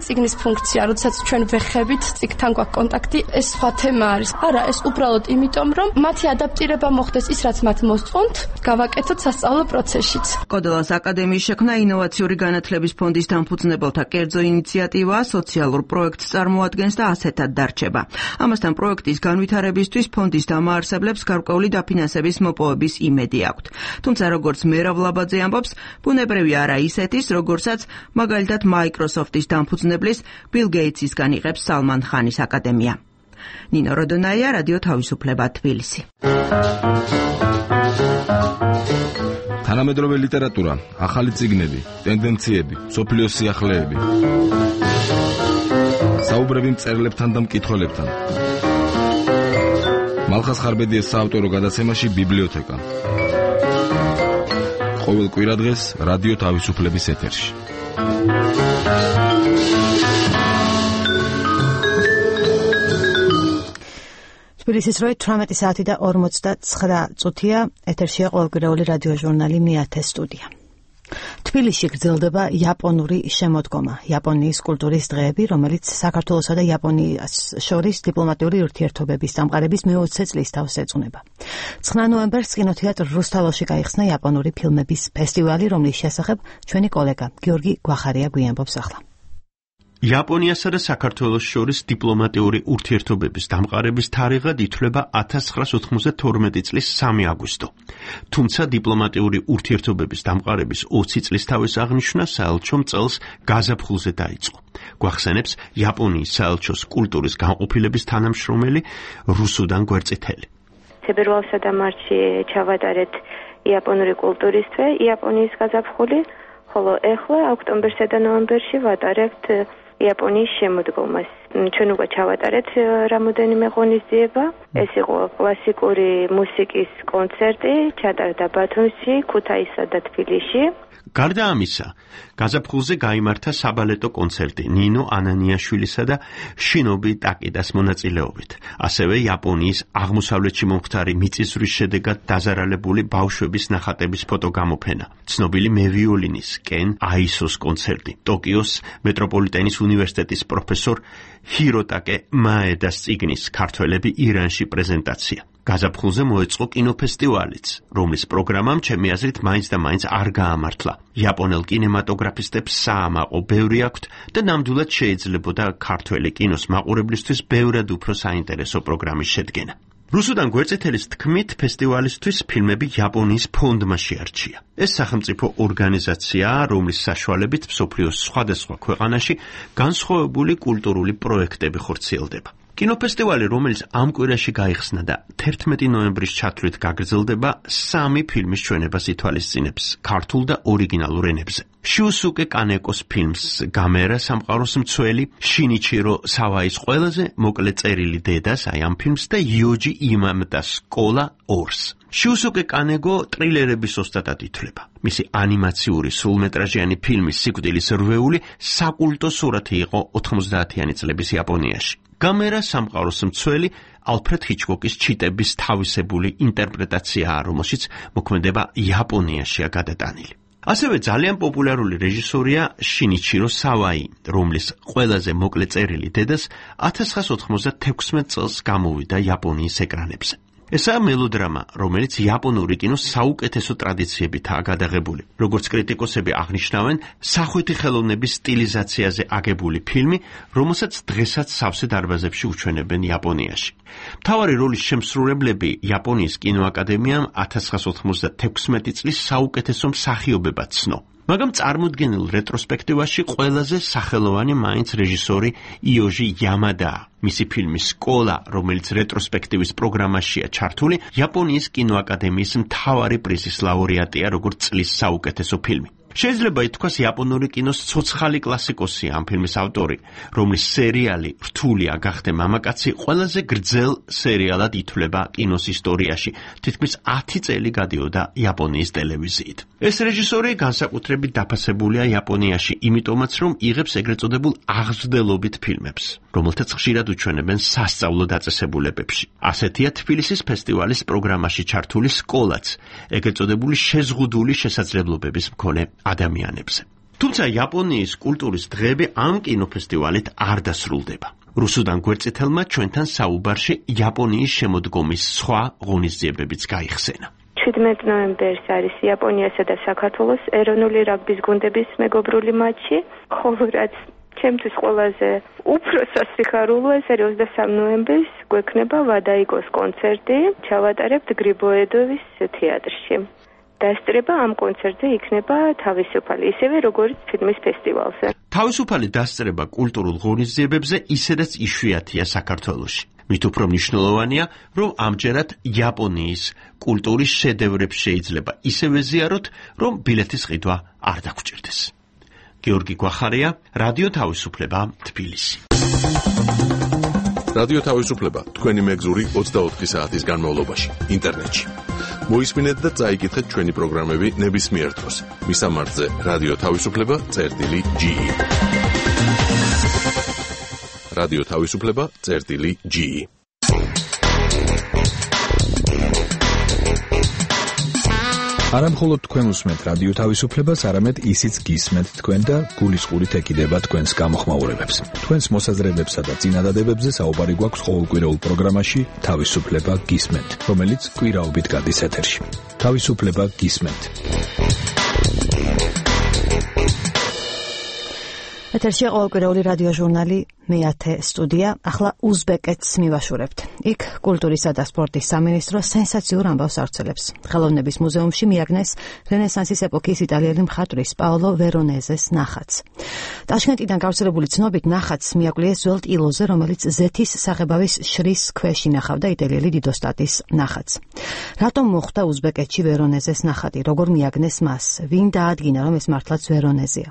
წიგნის ფუნქცია, როდესაც ჩვენ ვეხებით წიგნთან გვაქვს კონტაქტი, ეს სხვა თემა არის. არა, ეს უბრალოდ იმიტომ, რომ მათი ადაპტირება მოხდეს ის, რაც მათ მოსწონთ, გავაკეთოთ სასწავლო პროცესშიც. კოდელას აკადემიის შექმნა ინოვაციური განათლების ფონდის დამფუძნებელთა კერძო ინიციატივაა, სოციალურ პროექტს წარმოადგენს და ასეთად დარჩება. ამასთან პროექტის განვითარებისთვის ფონდის დამაარსებლებს გარკვეული დაფინანსების მოპოვების იმედი აქვთ. თუმცა როგორც მერაბ ლაბაძე ამბობს, ბუნებრივი არა ისეთის, როგორცაც მაგალითად Microsoft-ის დამფუძნებლის Bill Gates-ისგან იღებს Salman Khan-ის აკადემია. ნინო როდონაია, რადიო თავისუფლება, თბილისი. თანამედროვე ლიტერატურა, ახალი წიგნები, ტენდენციები, მსოფლიოს სიახლეები. საუბრები მწერლებთან და მკითხველებთან. მალხას ხარბედიეს საავტორო გადაცემაში ბიბლიოთეკა. ყოველ კვირადღეს რადიო თავისუფლების ეთერში. თბილისის როი 18 საათი და 49 წუთია. ეთერშია ყოველკვირეული რადიო ჟურნალი მეათე სტუდია. თბილისში გრძელდება იაპონური შემოდგომა, იაპონიის კულტურის დღეები, რომელიც საქართველოსა და იაპონიას შორის დიპლომატიური ურთიერთობების დამყარების მე-20 წლის თავს ეძღვნება. 9 ნოემბერს კინოთეატრ რუსთაველში გაიხსნა იაპონური ფილმების ფესტივალი, რომლის შესახებ ჩვენი კოლეგა გიორგი გვახარია გვიამბობს ახლა. იაპონიასა და საქართველოს შორის დიპლომატიური ურთიერთობების დამყარების თარიღად ითვლება 1992 წლის 3 აგვისტო. თუმცა დიპლომატიური ურთიერთობების დამყარების 20 წლის თავის აღნიშვნა საელჩომ წელს გაზაფხულზე დაიწყო. გვახსენებს იაპონიის საელჩოს კულტურის განყოფილების თანამშრომელი რუსუდან გვერწითელი. თებერვალსა და მარტში ჩავატარეთ იაპონური კულტურის თვე, იაპონიის გაზაფხული, ხოლო ეხლა ოქტომბერსა და ნოემბერში ვატარებთ იაპონიის შემოდგომას. ჩვენ უკვე ჩავატარეთ რამოდენიმე ღონისძიება. ეს იყო კლასიკური მუსიკის კონცერტი, ჩატარდა ბათუმში, ქუთაისსა და თბილისში. გარდა ამისა, გაზაფხულზე გაიმართა საბალეტო კონცერტი ნინო ანანიაშვილისა და შინობი ტაკიდას მონაწილეობით. ასევე იაპონიის აღმოსავლეთში მომხდარი მიწისძვრის შედეგად დაზარალებული ბავშვების ნახატების ფოტოგამოფენა. ცნობილი მევიოლინის კენ აისოს კონცერტი. ტოკიოს მეტროპოლიტენის უნივერსიტეტის პროფესორ ჰიროტაკე მაედას წიგნის ქართველები ირანში პრეზენტაცია. გაზაფხულზე მოეწყო კინოფესტივალიც, რომლის პროგრამამ ჩემი აზრით მაინც და მაინც არ გაამართლა. იაპონელ კინემატოგრაფისტებს საამაყო ბევრი აქვთ და ნამდვილად შეიძლებოდა ქართველი კინოს მაყურებლისთვის ბევრად უფრო საინტერესო პროგრამის შედგენა. რუსუდან გვერწითელის თქმით, ფესტივალისთვის ფილმები იაპონიის ფონდმა შეარჩია. ეს სახელმწიფო ორგანიზაციაა, რომლის საშუალებით მსოფლიოს სხვადასხვა ქვეყანაში განსხვავებული კულტურული პროექტები ხორციელდება. კინოფესტივალი, რომელიც ამ კვირაში გაიხსნა და 11 ნოემბრის ჩათვლით გაგრძელდება, 3 ფილმის ჩვენებას ითვალისწინებს ქართულ და ორიგინალურ ენებზე. შიუსუკე კანეკოს ფილმს გამერა სამყაროს მცველი, შინიჩირო სავაის ყველაზე მოკლე წერილი დედას, აი ამ ფილმს და იოჯი იმამდას სკოლა 2-ს. შიუსუკე კანეგო ტრილერების ოსტატად ითვლება. მისი ანიმაციური სრულმეტრაჟიანი ფილმის სიკვდილის რვეული საკულტო სურათი იყო 90-იანი წლების იაპონიაში. გამერა სამყაროს მცველი ალფრედ ჰიჩკოკის ჩიტების თავისებული ინტერპრეტაციაა, რომელშიც მოქმედება იაპონიაშია გადატანილი. ასევე ძალიან პოპულარული რეჟისორია შინიჩირო სავაი, რომლის ყველაზე მოკლე წერილი დედას 1996 წელს გამოვიდა იაპონიის ეკრანებზე. ესაა მელოდრამა, რომელიც იაპონური კინოს საუკეთესო ტრადიციებითაა გადაღებული. როგორც კრიტიკოსები აღნიშნავენ, სახვითი ხელოვნების სტილიზაციაზე აგებული ფილმი, რომელსაც დღესაც სავსე დარბაზებში უჩვენებენ იაპონიაში. მთავარი როლის შემსრულებლები იაპონიის კინოაკადემიამ 1996 წლის საუკეთესო მსახიობებად ცნო. მაგრამ წარმოდგენილ რეტროსპექტივაში ყველაზე სახელოვანი მაინც რეჟისორი იოჟი იამადაა. მისი ფილმი სკოლა, რომელიც რეტროსპექტივის პროგრამაშია ჩართული, იაპონიის კინოაკადემიის მთავარი პრიზის ლაურეატია, როგორც წლის საუკეთესო ფილმი. შეიძლება ითქვას იაპონური კინოს ცოცხალი კლასიკოსი ამ ფილმის ავტორი, რომლის სერიალი რთულია გახდე მამაკაცი ყველაზე გრძელ სერიალად ითვლება კინოს ისტორიაში, თითქმის 10 წელი გადიოდა იაპონიის ტელევიზიით. ეს რეჟისორი განსაკუთრებით დაფასებულია იაპონიაში, იმიტომაც რომ იღებს ეგრეთ წოდებულ აღზრდელობით ფილმებს, რომელთაც ხშირად უჩვენებენ სასწავლო დაწესებულებებში. ასეთია თბილისის ფესტივალის პროგრამაში ჩართული სკოლაც, ეგრეთ წოდებული შეზღუდული შესაძლებლობების მქონე ადამიანებზე. თუმცა იაპონიის კულტურის დღეები ამ კინოფესტივალით არ დასრულდება. რუსუდან გვერდწითელმა ჩვენთან საუბარში იაპონიის შემოდგომის სხვა ღონისძიებებიც გაიხსენა. 17 ნოემბერს არის იაპონიასა და საქართველოს ეროვნული რაგბის გუნდების მეგობრული მატჩი, ხოლო რაც ჩემთვის ყველაზე უფრო სასიხარულოა, ეს არის 23 ნოემბერს გვექნება ვადაიგოს კონცერტი, ჩავატარებთ გრიბოედოვის თეატრში. დასწრება ამ კონცერტზე იქნება თავისუფალი, ისევე როგორც ფილმის ფესტივალზე. თავისუფალი დასწრება კულტურულ ღონისძიებებზე ისედაც იშვიათია საქართველოში. მით უფრო მნიშვნელოვანია, რომ ამჯერად იაპონიის კულტურის შედევრებს შეიძლება ისევე ზიაროთ, რომ ბილეთის ყიდვა არ დაგჭირდეს. გიორგი გვახარია, რადიო თავისუფლება, თბილისი. რადიო თავისუფლება თქვენი მეგზური 24 საათის განმავლობაში ინტერნეტში. მოისმინეთ და წაიკითხეთ ჩვენი პროგრამები ნებისმიერ დროს. მისამართზე რადიო თავისუფლება.ge. რადიო თავისუფლება.ge. არა მხოლოდ თქვენ უსმენთ რადიო თავისუფლებას, არამედ ისიც გისმენთ თქვენ და გულისყურით ეკიდება თქვენს გამოხმაურებებს. თქვენს მოსაზრებებსა და წინადადებებზე საუბარი გვაქვს ყოველკვირეულ პროგრამაში თავისუფლება გისმენთ, რომელიც კვირაობით გადის ეთერში. თავისუფლება გისმენთ. ეთერში ყოველკვირეული რადიო ჟურნალი მეათე სტუდია. ახლა უზბეკეთს მივაშურებთ. იქ კულტურისა და სპორტის სამინისტრო სენსაციურ ამბავს ავრცელებს. ხელოვნების მუზეუმში მიაგნეს რენესანსის ეპოქის იტალიელი მხატვრის პაოლო ვერონეზეს ნახატს. ტაშკენტიდან გავრცელებული ცნობით ნახატს მიაკვლიეს ძველ ტილოზე, რომელიც ზეთის საღებავის შრის ქვეშ ინახავდა იტალიელი დიდოსტატის ნახატს. რატომ მოხვდა უზბეკეთში ვერონეზეს ნახატი? როგორ მიაგნეს მას? ვინ დაადგინა, რომ ეს მართლაც ვერონეზია?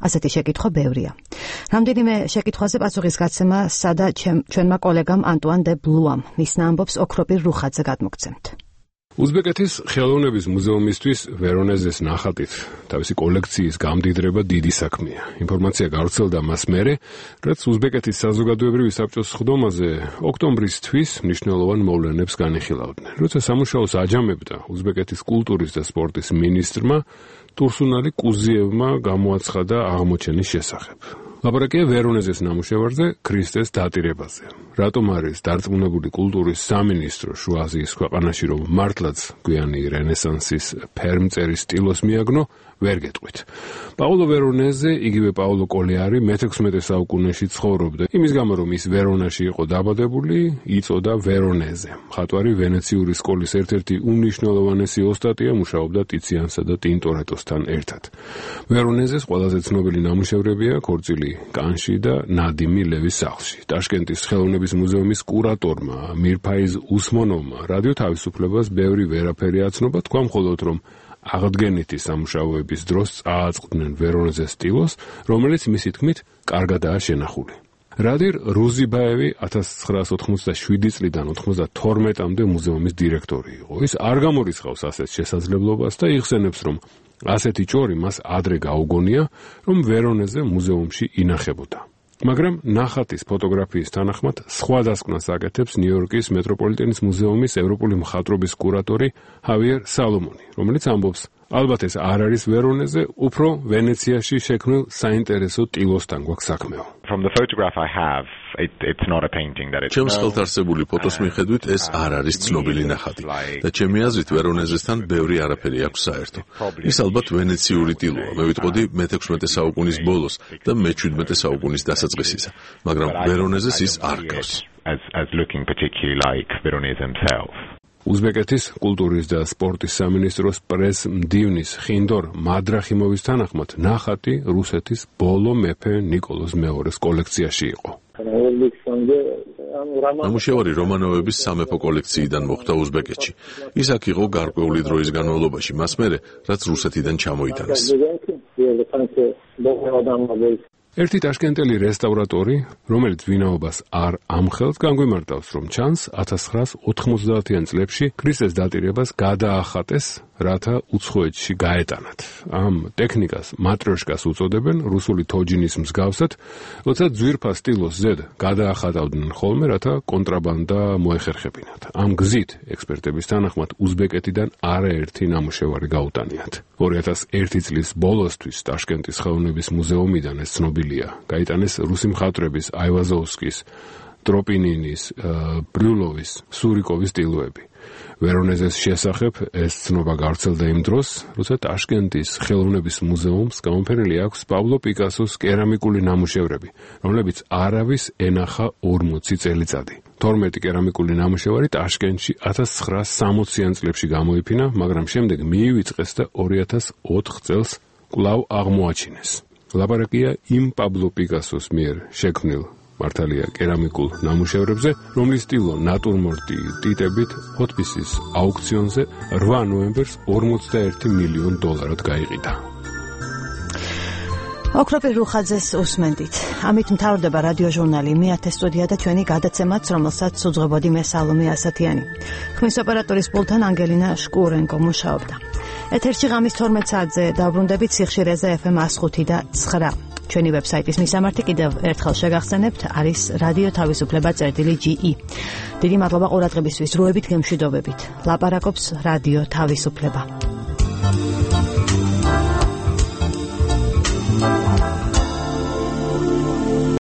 ასეთი შეკითხვა ბევრია. რამდენიმე შეკითხვაზე პასუხის გაცემა სადა ჩვენმა კოლეგამ ანტუან დე ბლუამ. მის ამბობს ოქროპირ რუხაძე გადმოგცემთ. უზბეკეთის ხელოვნების მუზეუმისთვის ვერონეზეს ნახატით თავისი კოლექციის გამდიდრება დიდი საქმეა. ინფორმაცია გავრცელდა მას მერე, რაც უზბეკეთის საზოგადოებრივი საბჭოს სხდომაზე ოქტომბრის თვის მნიშვნელოვან მოვლენებს განიხილავდნენ. როცა სამუშაოს აჯამებდა უზბეკეთის კულტურის და სპორტის მინისტრმა ტურსუნალი კუზიევმა გამოაცხადა აღმოჩენის შესახებ. ლაპარაკია ვერონეზეს ნამუშევარზე ქრისტეს დატირებაზე. რატომ არის დარწმუნებული კულტურის სამინისტრო შუა აზიის ქვეყანაში, რომ მართლაც გვიანი რენესანსის ფერმწერის სტილოს მიაგნო, ვერ გეტყვით. პაოლო ვერონეზე, იგივე პაოლო კოლიარი მე-16 საუკუნეში ცხოვრობდა. იმის გამო, რომ ის ვერონაში იყო დაბადებული, იწოდა ვერონეზე. მხატვარი ვენეციური სკოლის ერთ-ერთი უმნიშვნელოვანესი ოსტატია, მუშაობდა ტიციანსა და ტინტორეტოსთან ერთად. ვერონეზეს ყველაზე ცნობილი ნამუშევრებია ქორწილი კანში და ნადიმი ლევის სახლში. ტაშკენტის ხელოვნების მუზეუმის კურატორმა მირფაიზ უსმონოვმა რადიო თავისუფლებას ბევრი ვერაფერი აცნობა, თქვა მხოლოდ რომ აღდგენითი სამუშაოების დროს წააწყდნენ ვერონეზეს სტილოს, რომელიც მისი თქმით კარგადაა შენახული. რადირ რუზიბაევი 1987 წლიდან 92-მდე მუზეუმის დირექტორი იყო. ის არ გამორიცხავს ასეთ შესაძლებლობას და იხსენებს, რომ ასეთი ჭორი მას ადრე გაუგონია, რომ ვერონეზე მუზეუმში ინახებოდა. მაგრამ ნახატის ფოტოგრაფიის თანახმად სხვა დასკვნას აკეთებს ნიუ-იორკის მეტროპოლიტენის მუზეუმის ევროპული მხატვრობის კურატორი ჰავიერ სალომონი, რომელიც ამბობს, ალბათ ეს არ არის ვერონეზე, უფრო ვენეციაში შექმნილ საინტერესო ტილოსთან გვაქვს საქმეო. From the photograph I have, it's not a painting that it's. ჩემს ხელთ არსებული ფოტოს მიხედვით ეს არ არის ცნობილი ნახატი და ჩემი აზრით ვერონეზესთან ბევრი არაფერი აქვს საერთო. ის ალბათ ვენეციური ტილოა, მე ვიტყოდი მე-16 საუკუნის ბოლოს და მე-17 საუკუნის დასაწყისისა, მაგრამ ვერონეზეს ის არ გავს. As looking particularly like Veronese himself. უზბეკეთის კულტურის და სპორტის სამინისტროს პრეს-მდივნის ხინდორ მადრახიმოვის თანახმად ნახატი რუსეთის ბოლო მეფე ნიკოლოზ მეორის კოლექციაში იყო. ნამუშევარი რომანოვების სამეფო კოლექციიდან მოხვდა უზბეკეთში. ის აქ იყო გარკვეული დროის განმავლობაში, მას მერე, რაც რუსეთიდან ჩამოიტანეს. ერთი ტაშკენტელი რესტავრატორი, რომელიც ვინაობას არ ამხელს, განგვიმარტავს, რომ ჩანს 1990-იან წლებში ქრისტეს დატირებას გადაახატეს, რათა უცხოეთში გაეტანათ. ამ ტექნიკას მატროშკას უწოდებენ, რუსული თოჯინის მსგავსად, როცა ძვირფას სტილოს ზედ გადაახატავდნენ ხოლმე, რათა კონტრაბანდა მოეხერხებინათ. ამ გზით, ექსპერტების თანახმად, უზბეკეთიდან არაერთი ნამუშევარი გაუტანიათ. 2001 წლის ბოლოსთვის ტაშკენტის ხელოვნების მუზეუმიდან ეს ცნობილია. გაიტანეს რუსი მხატვრების აივაზოვსკის, ტროპინინის, ბრიულოვის, სურიკოვის სტილოები. ვერონეზეს შესახებ ეს ცნობა გავრცელდა იმ დროს, როცა ტაშკენტის ხელოვნების მუზეუმს გამოფენილი აქვს პაბლო პიკასოს კერამიკული ნამუშევრები, რომლებიც არავის ენახა 40 წელიწადი. 12 კერამიკული ნამუშევარი ტაშკენტში 1960-იან წლებში გამოიფინა, მაგრამ შემდეგ მიივიწყეს და 2004 წელს კვლავ აღმოაჩინეს. ლაპარაკია იმ პაბლო პიკასოს მიერ შექმნილ მართალია კერამიკულ ნამუშევრებზე, რომლის სტილო ნატურმორტი ტიტებით ჰოთბისის აუქციონზე 8 ნოემბერს $41 მილიონ გაიყიდა. ოქროპირ რუხაძეს უსმენდით. ამით მთავრდება რადიოჟურნალი მე-10 სტუდია და ჩვენი გადაცემაც, რომელსაც უძღვებოდი მე სალომე ასათიანი. ხმის ოპერატორის პულტთან ანგელინა შკურენკო მუშაობდა. ეთერში ღამის 12 საათზე დაუბრუნდებით სიხშირეზე FM 105 და 9. ჩვენი ვებსაიტის მისამართი კიდევ ერთხელ შეგახსენებთ, არის რადიო თავისუფლება.ge. დიდი მადლობა ყურადღებისთვის, როებით გემშვიდობებით. ლაპარაკობს რადიო თავისუფლება.